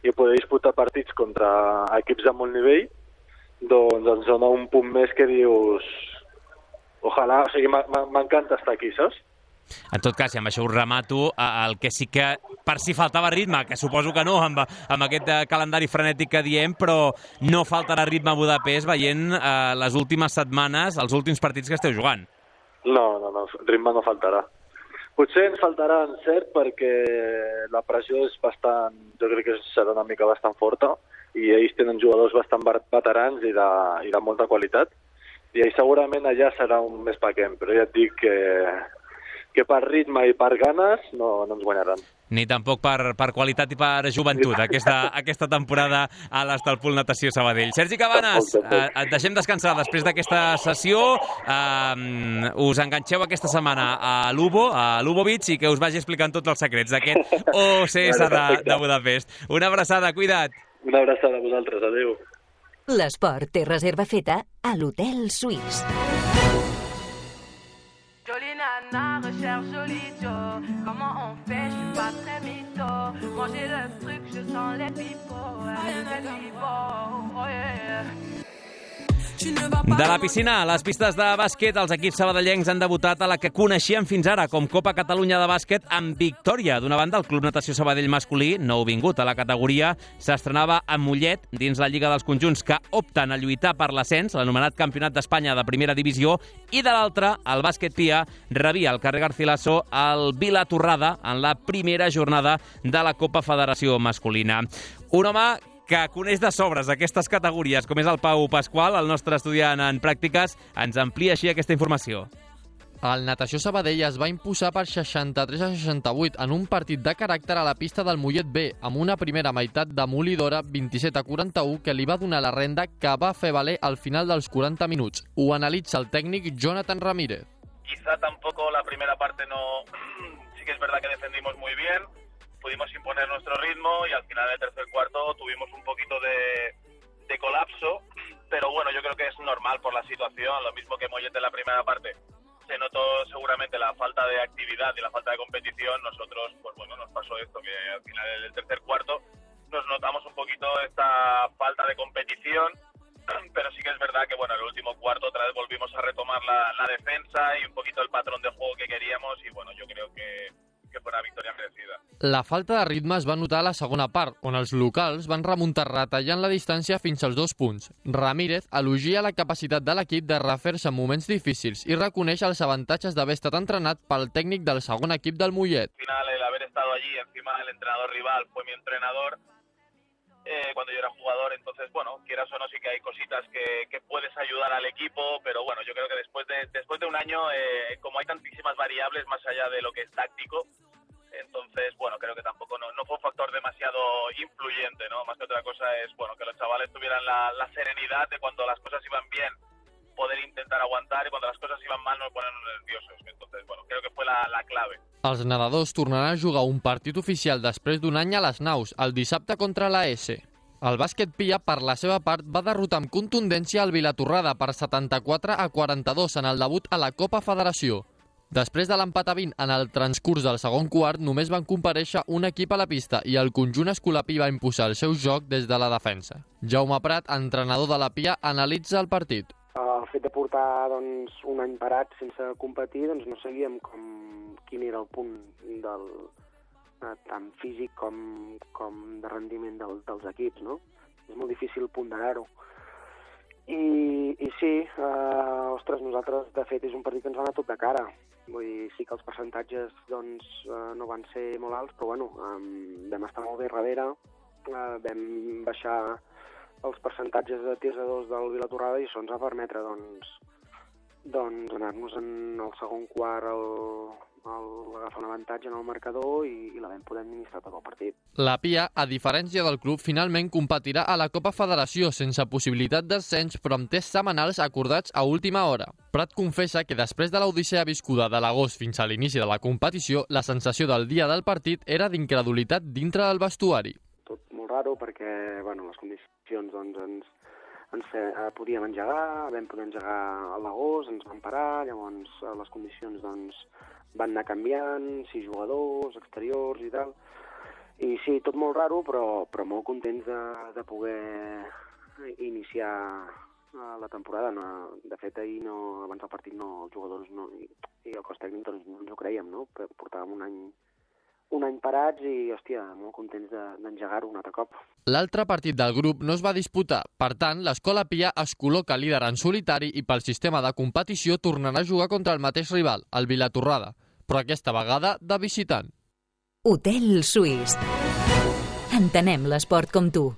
i poder disputar partits contra equips de molt nivell, doncs ens dona un punt més que dius, ojalà, o sigui, m'encanta estar aquí, saps? En tot cas, i amb això us remato, el que sí que per si faltava ritme, que suposo que no, amb aquest calendari frenètic que diem, però no faltarà ritme a Budapest veient les últimes setmanes, els últims partits que esteu jugant. No, ritme no faltarà. Potser ens faltarà encert perquè la pressió és bastant, jo crec que serà una mica bastant forta i ells tenen jugadors bastant veterans i de molta qualitat i segurament allà serà un més paquem, però ja et dic que per ritme i per ganes no ens guanyaran. Ni tampoc per qualitat i per joventut, aquesta temporada a l'Estalpul Natació Sabadell. Sergi Cabanes, et deixem descansar després d'aquesta sessió. Us enganxeu aquesta setmana a l'Ubo Beach i que us vagi explicant tots els secrets d'aquest OCS de Budapest. Una abraçada, cuida't. Una abraçada a vosaltres, adéu. L'esport té reserva feta a l'Hotel Suís. Jolie nana, recherche jolie Joe. Comment on fait, je suis pas très mytho. Manger le truc, je sens les pipots. Oh yeah. De la piscina a les pistes de bàsquet, els equips sabadellencs han debutat a la que coneixíem fins ara com Copa Catalunya de bàsquet amb victòria. D'una banda, el Club Natació Sabadell masculí, nouvingut a la categoria, s'estrenava a Mollet dins la Lliga dels Conjunts que opten a lluitar per l'ascens, l'anomenat Campionat d'Espanya de Primera Divisió, i de l'altra, el bàsquet Pia rebia al carrer Garcilaso el Vila Torrada en la primera jornada de la Copa Federació Masculina. Un home que coneix de sobres aquestes categories, com és el Pau Pasqual, el nostre estudiant en pràctiques, ens amplia així aquesta informació. El Natació Sabadell es va imposar per 63-68 en un partit de caràcter a la pista del Mollet B, amb una primera meitat demolidora 27-41 que li va donar la renda que va fer valer al final dels 40 minuts. Ho analitza el tècnic Jonathan Ramírez. Quizá tampoco la primera parte no... Sí que es verdad que defendimos muy bien, pudimos imponer nuestro ritmo y al final del tercer cuarto tuvimos un poquito de colapso, pero bueno, yo creo que es normal por la situación, lo mismo que Mollet en la primera parte. Se notó seguramente la falta de actividad y la falta de competición. Nosotros, pues bueno, nos pasó esto, que al final del tercer cuarto nos notamos un poquito esta falta de competición, pero sí que es verdad que bueno, en el último cuarto otra vez volvimos a retomar la defensa y un poquito el patrón de juego que queríamos y bueno, yo creo que fue una victòria merecida. La falta de ritme es va notar a la segona part, on els locals van remuntar retallant la distància fins als 2 punts. Ramírez elogia la capacitat de l'equip de refer-se en moments difícils i reconeix els avantatges d'haver estat entrenat pel tècnic del segon equip del Mollet. Al final, el haber estado allí, encima el entrenador rival fue mi entrenador cuando yo era jugador, entonces, bueno, quieras o no, sí que hay cositas que puedes ayudar al equipo, pero bueno, yo creo que después de un año, como hay tantísimas variables más allá de lo que es táctico, entonces, bueno, creo que tampoco no fue un factor demasiado influyente, ¿no? Más que otra cosa es, bueno, que los chavales tuvieran la serenidad de cuando las cosas iban bien, poder intentar aguantar, y cuando las cosas iban mal no ponernos nerviosos. Entonces, bueno, creo que fue la clave. Els nedadors tornaran a jugar un partit oficial després d'un any a les naus, el dissabte contra la S. El bàsquet Pia, per la seva part, va derrotar amb contundència el Vilatorrada per 74-42 en el debut a la Copa Federació. Després de l'empat a 20 en el transcurs del segon quart, només van comparèixer un equip a la pista i el conjunt escolapí va imposar el seu joc des de la defensa. Jaume Prat, entrenador de la Pia, analitza el partit. el fet de portar doncs, un any parat sense competir, doncs no sabíem quin era el punt tant físic com de rendiment dels equips, no? És molt difícil ponderar-ho. I sí, ostres, nosaltres, de fet, és un partit que ens va anar tot de cara. Vull dir, sí que els percentatges doncs, no van ser molt alts, però bueno, vam estar molt bé darrere, vam baixar els percentatges de tirs a 2 del Vilatorrada i això ens va permetre doncs anar-nos en el segon quart agafar un avantatge en el marcador i la vam poder administrar tot el partit. La Pia, a diferència del club, finalment competirà a la Copa Federació sense possibilitat d'ascens però amb tests setmanals acordats a última hora. Prat confessa que després de l'odissea viscuda de l'agost fins a l'inici de la competició, la sensació del dia del partit era d'incredulitat dintre del vestuari. Tot molt raro perquè bueno, les condicions doncs, podíem engegar, vam poder engegar a l'agost, ens van parar, llavors les condicions doncs, van anar canviant, 6 jugadors, exteriors i tal. I sí, tot molt raro, però molt contents de poder iniciar la temporada. De fet, ahir abans del partit els jugadors i el cos tècnic doncs, no ens ho creiem, no? Portàvem un any parats i, hòstia, molt contents d'engegar-ho un altre cop. L'altre partit del grup no es va disputar. Per tant, l'Escola Pia es col·loca líder en solitari i pel sistema de competició tornarà a jugar contra el mateix rival, el Vilatorrada, però aquesta vegada de visitant. Hotel Suís. Entenem l'esport com tu.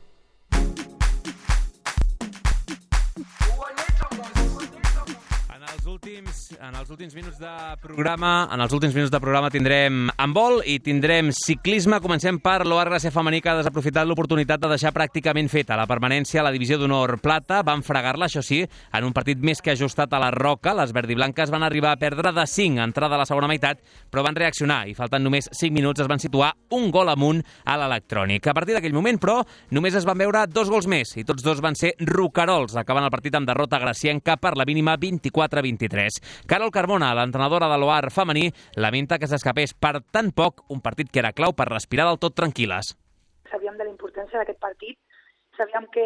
En els últims minuts de programa tindrem handbol i tindrem ciclisme. Comencem per l'Oar Gràcia femení, que ha desaprofitat l'oportunitat de deixar pràcticament feta la permanència a la divisió d'honor plata. Van fregar-la, això sí, en un partit més que ajustat a la Roca. Les verdiblanques van arribar a perdre de 5 a entrada a la segona meitat, però van reaccionar i faltant només 5 minuts es van situar un gol amunt a l'electrònic. A partir d'aquell moment, però, només es van veure 2 gols més i tots 2 van ser roquerols, acabant el partit amb derrota gracienca per la mínima 24-23. Carol Carmona, l'entrenadora de l'Oar femení, lamenta que s'escapés per tan poc un partit que era clau per respirar del tot tranquil·les. Sabíem de la importància d'aquest partit, sabíem que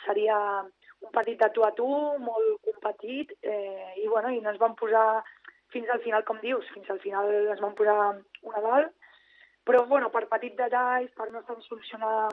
seria un partit de tu a tu, molt competit, i no ens vam posar fins al final, com dius, fins al final ens vam posar una dalt, però per petits detalls, per no estar solucionar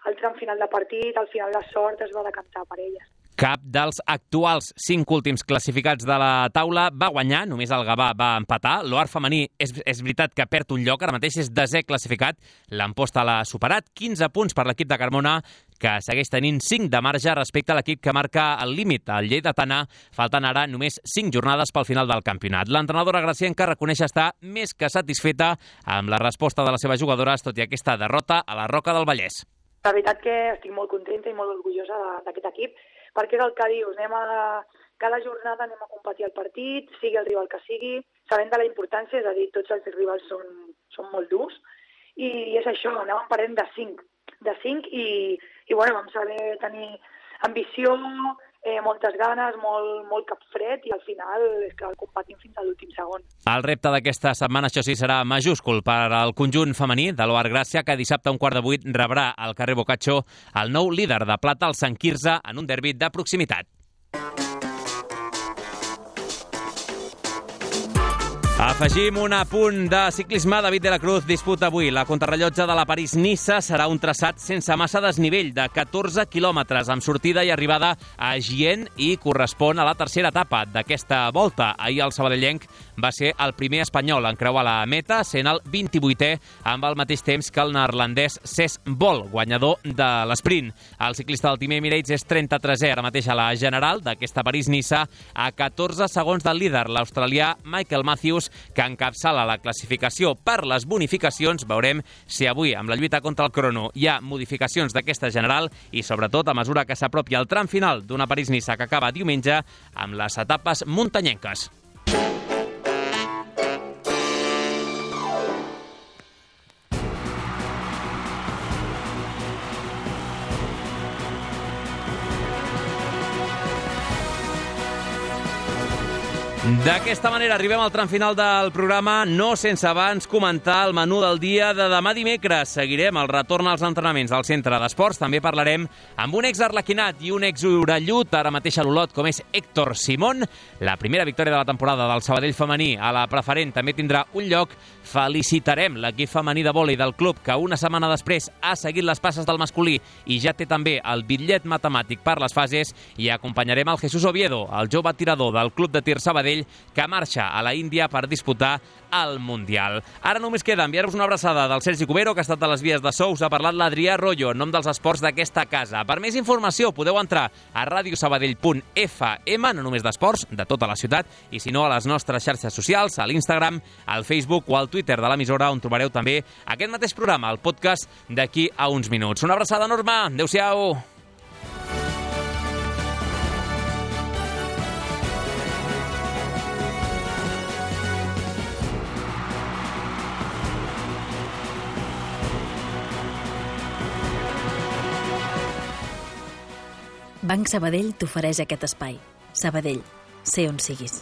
el tram final de partit, al final la sort es va decantar per elles. Cap dels actuals 5 últims classificats de la taula va guanyar, només el Gavà va empatar. L'Oar femení és veritat que perd un lloc, ara mateix és 10è classificat. L'Amposta l'ha superat, 15 punts per l'equip de Carmona, que segueix tenint 5 de marge respecte a l'equip que marca el límit, el Lleidatana. Falten ara només 5 jornades pel final del campionat. L'entrenadora gracienca reconeix estar més que satisfeta amb la resposta de les seves jugadores, tot i aquesta derrota a la Roca del Vallès. La veritat que estic molt contenta i molt orgullosa d'aquest equip, perquè és el que dius, cada jornada anem a competir el partit, sigui el rival que sigui, sabent de la importància, és a dir, tots els rivals són molt durs, i és això, anàvem perdent de 5 i vam saber tenir ambició, moltes ganes, molt cap fred, i al final és que el competim fins a l'últim segon. El repte d'aquesta setmana, això sí, serà majúscul per al conjunt femení de l'Oar Gràcia, que dissabte a 7:15 rebrà al carrer Boccaccio el nou líder de plata, el Sant Quirze, en un derbi de proximitat. Afegim un apunt de ciclisme. David de la Cruz disputa avui la contrarrellotge de la París-Niça. Serà un traçat sense massa desnivell de 14 quilòmetres amb sortida i arribada a Gien i correspon a la tercera etapa d'aquesta volta. Ahir el sabadellenc va ser el primer espanyol en creuar la meta, sent el 28è amb el mateix temps que el neerlandès Cesc Bol, guanyador de l'esprint. El ciclista del Team Emirates és 33è ara mateix a la general d'aquesta París-Niça, a 14 segons del líder, l'australià Michael Matthews, que encapçala la classificació per les bonificacions. Veurem si avui, amb la lluita contra el crono, hi ha modificacions d'aquesta general i, sobretot, a mesura que s'apropi el tram final d'una París-Niça que acaba diumenge amb les etapes muntanyenques. D'aquesta manera arribem al tram final del programa, no sense abans comentar el menú del dia de demà dimecres. Seguirem el retorn als entrenaments al centre d'esports. També parlarem amb un ex-arlequinat i un ex-orellut, ara mateix a l'Olot, com és Héctor Simón. La primera victòria de la temporada del Sabadell femení a la preferent també tindrà un lloc. Felicitarem l'equip femení de vòlei del club, que una setmana després ha seguit les passes del masculí i ja té també el bitllet matemàtic per les fases, i acompanyarem el Jesús Oviedo, el jove tirador del club de tir Sabadell, que marxa a la Índia per disputar el Mundial. Ara només queda enviar-vos una abraçada del Sergi Cubero, que ha estat a les vies de so. Us ha parlat l'Adrià Arroyo, en nom dels esports d'aquesta casa. Per més informació podeu entrar a radiosabadell.fm, no només d'esports, de tota la ciutat, i si no a les nostres xarxes socials, a l'Instagram, al Facebook o al Twitter de l'emissora, on trobareu també aquest mateix programa, el podcast, d'aquí a uns minuts. Una abraçada enorme, adeu-siau! Banc Sabadell t'ofereix aquest espai. Sabadell, sé on siguis.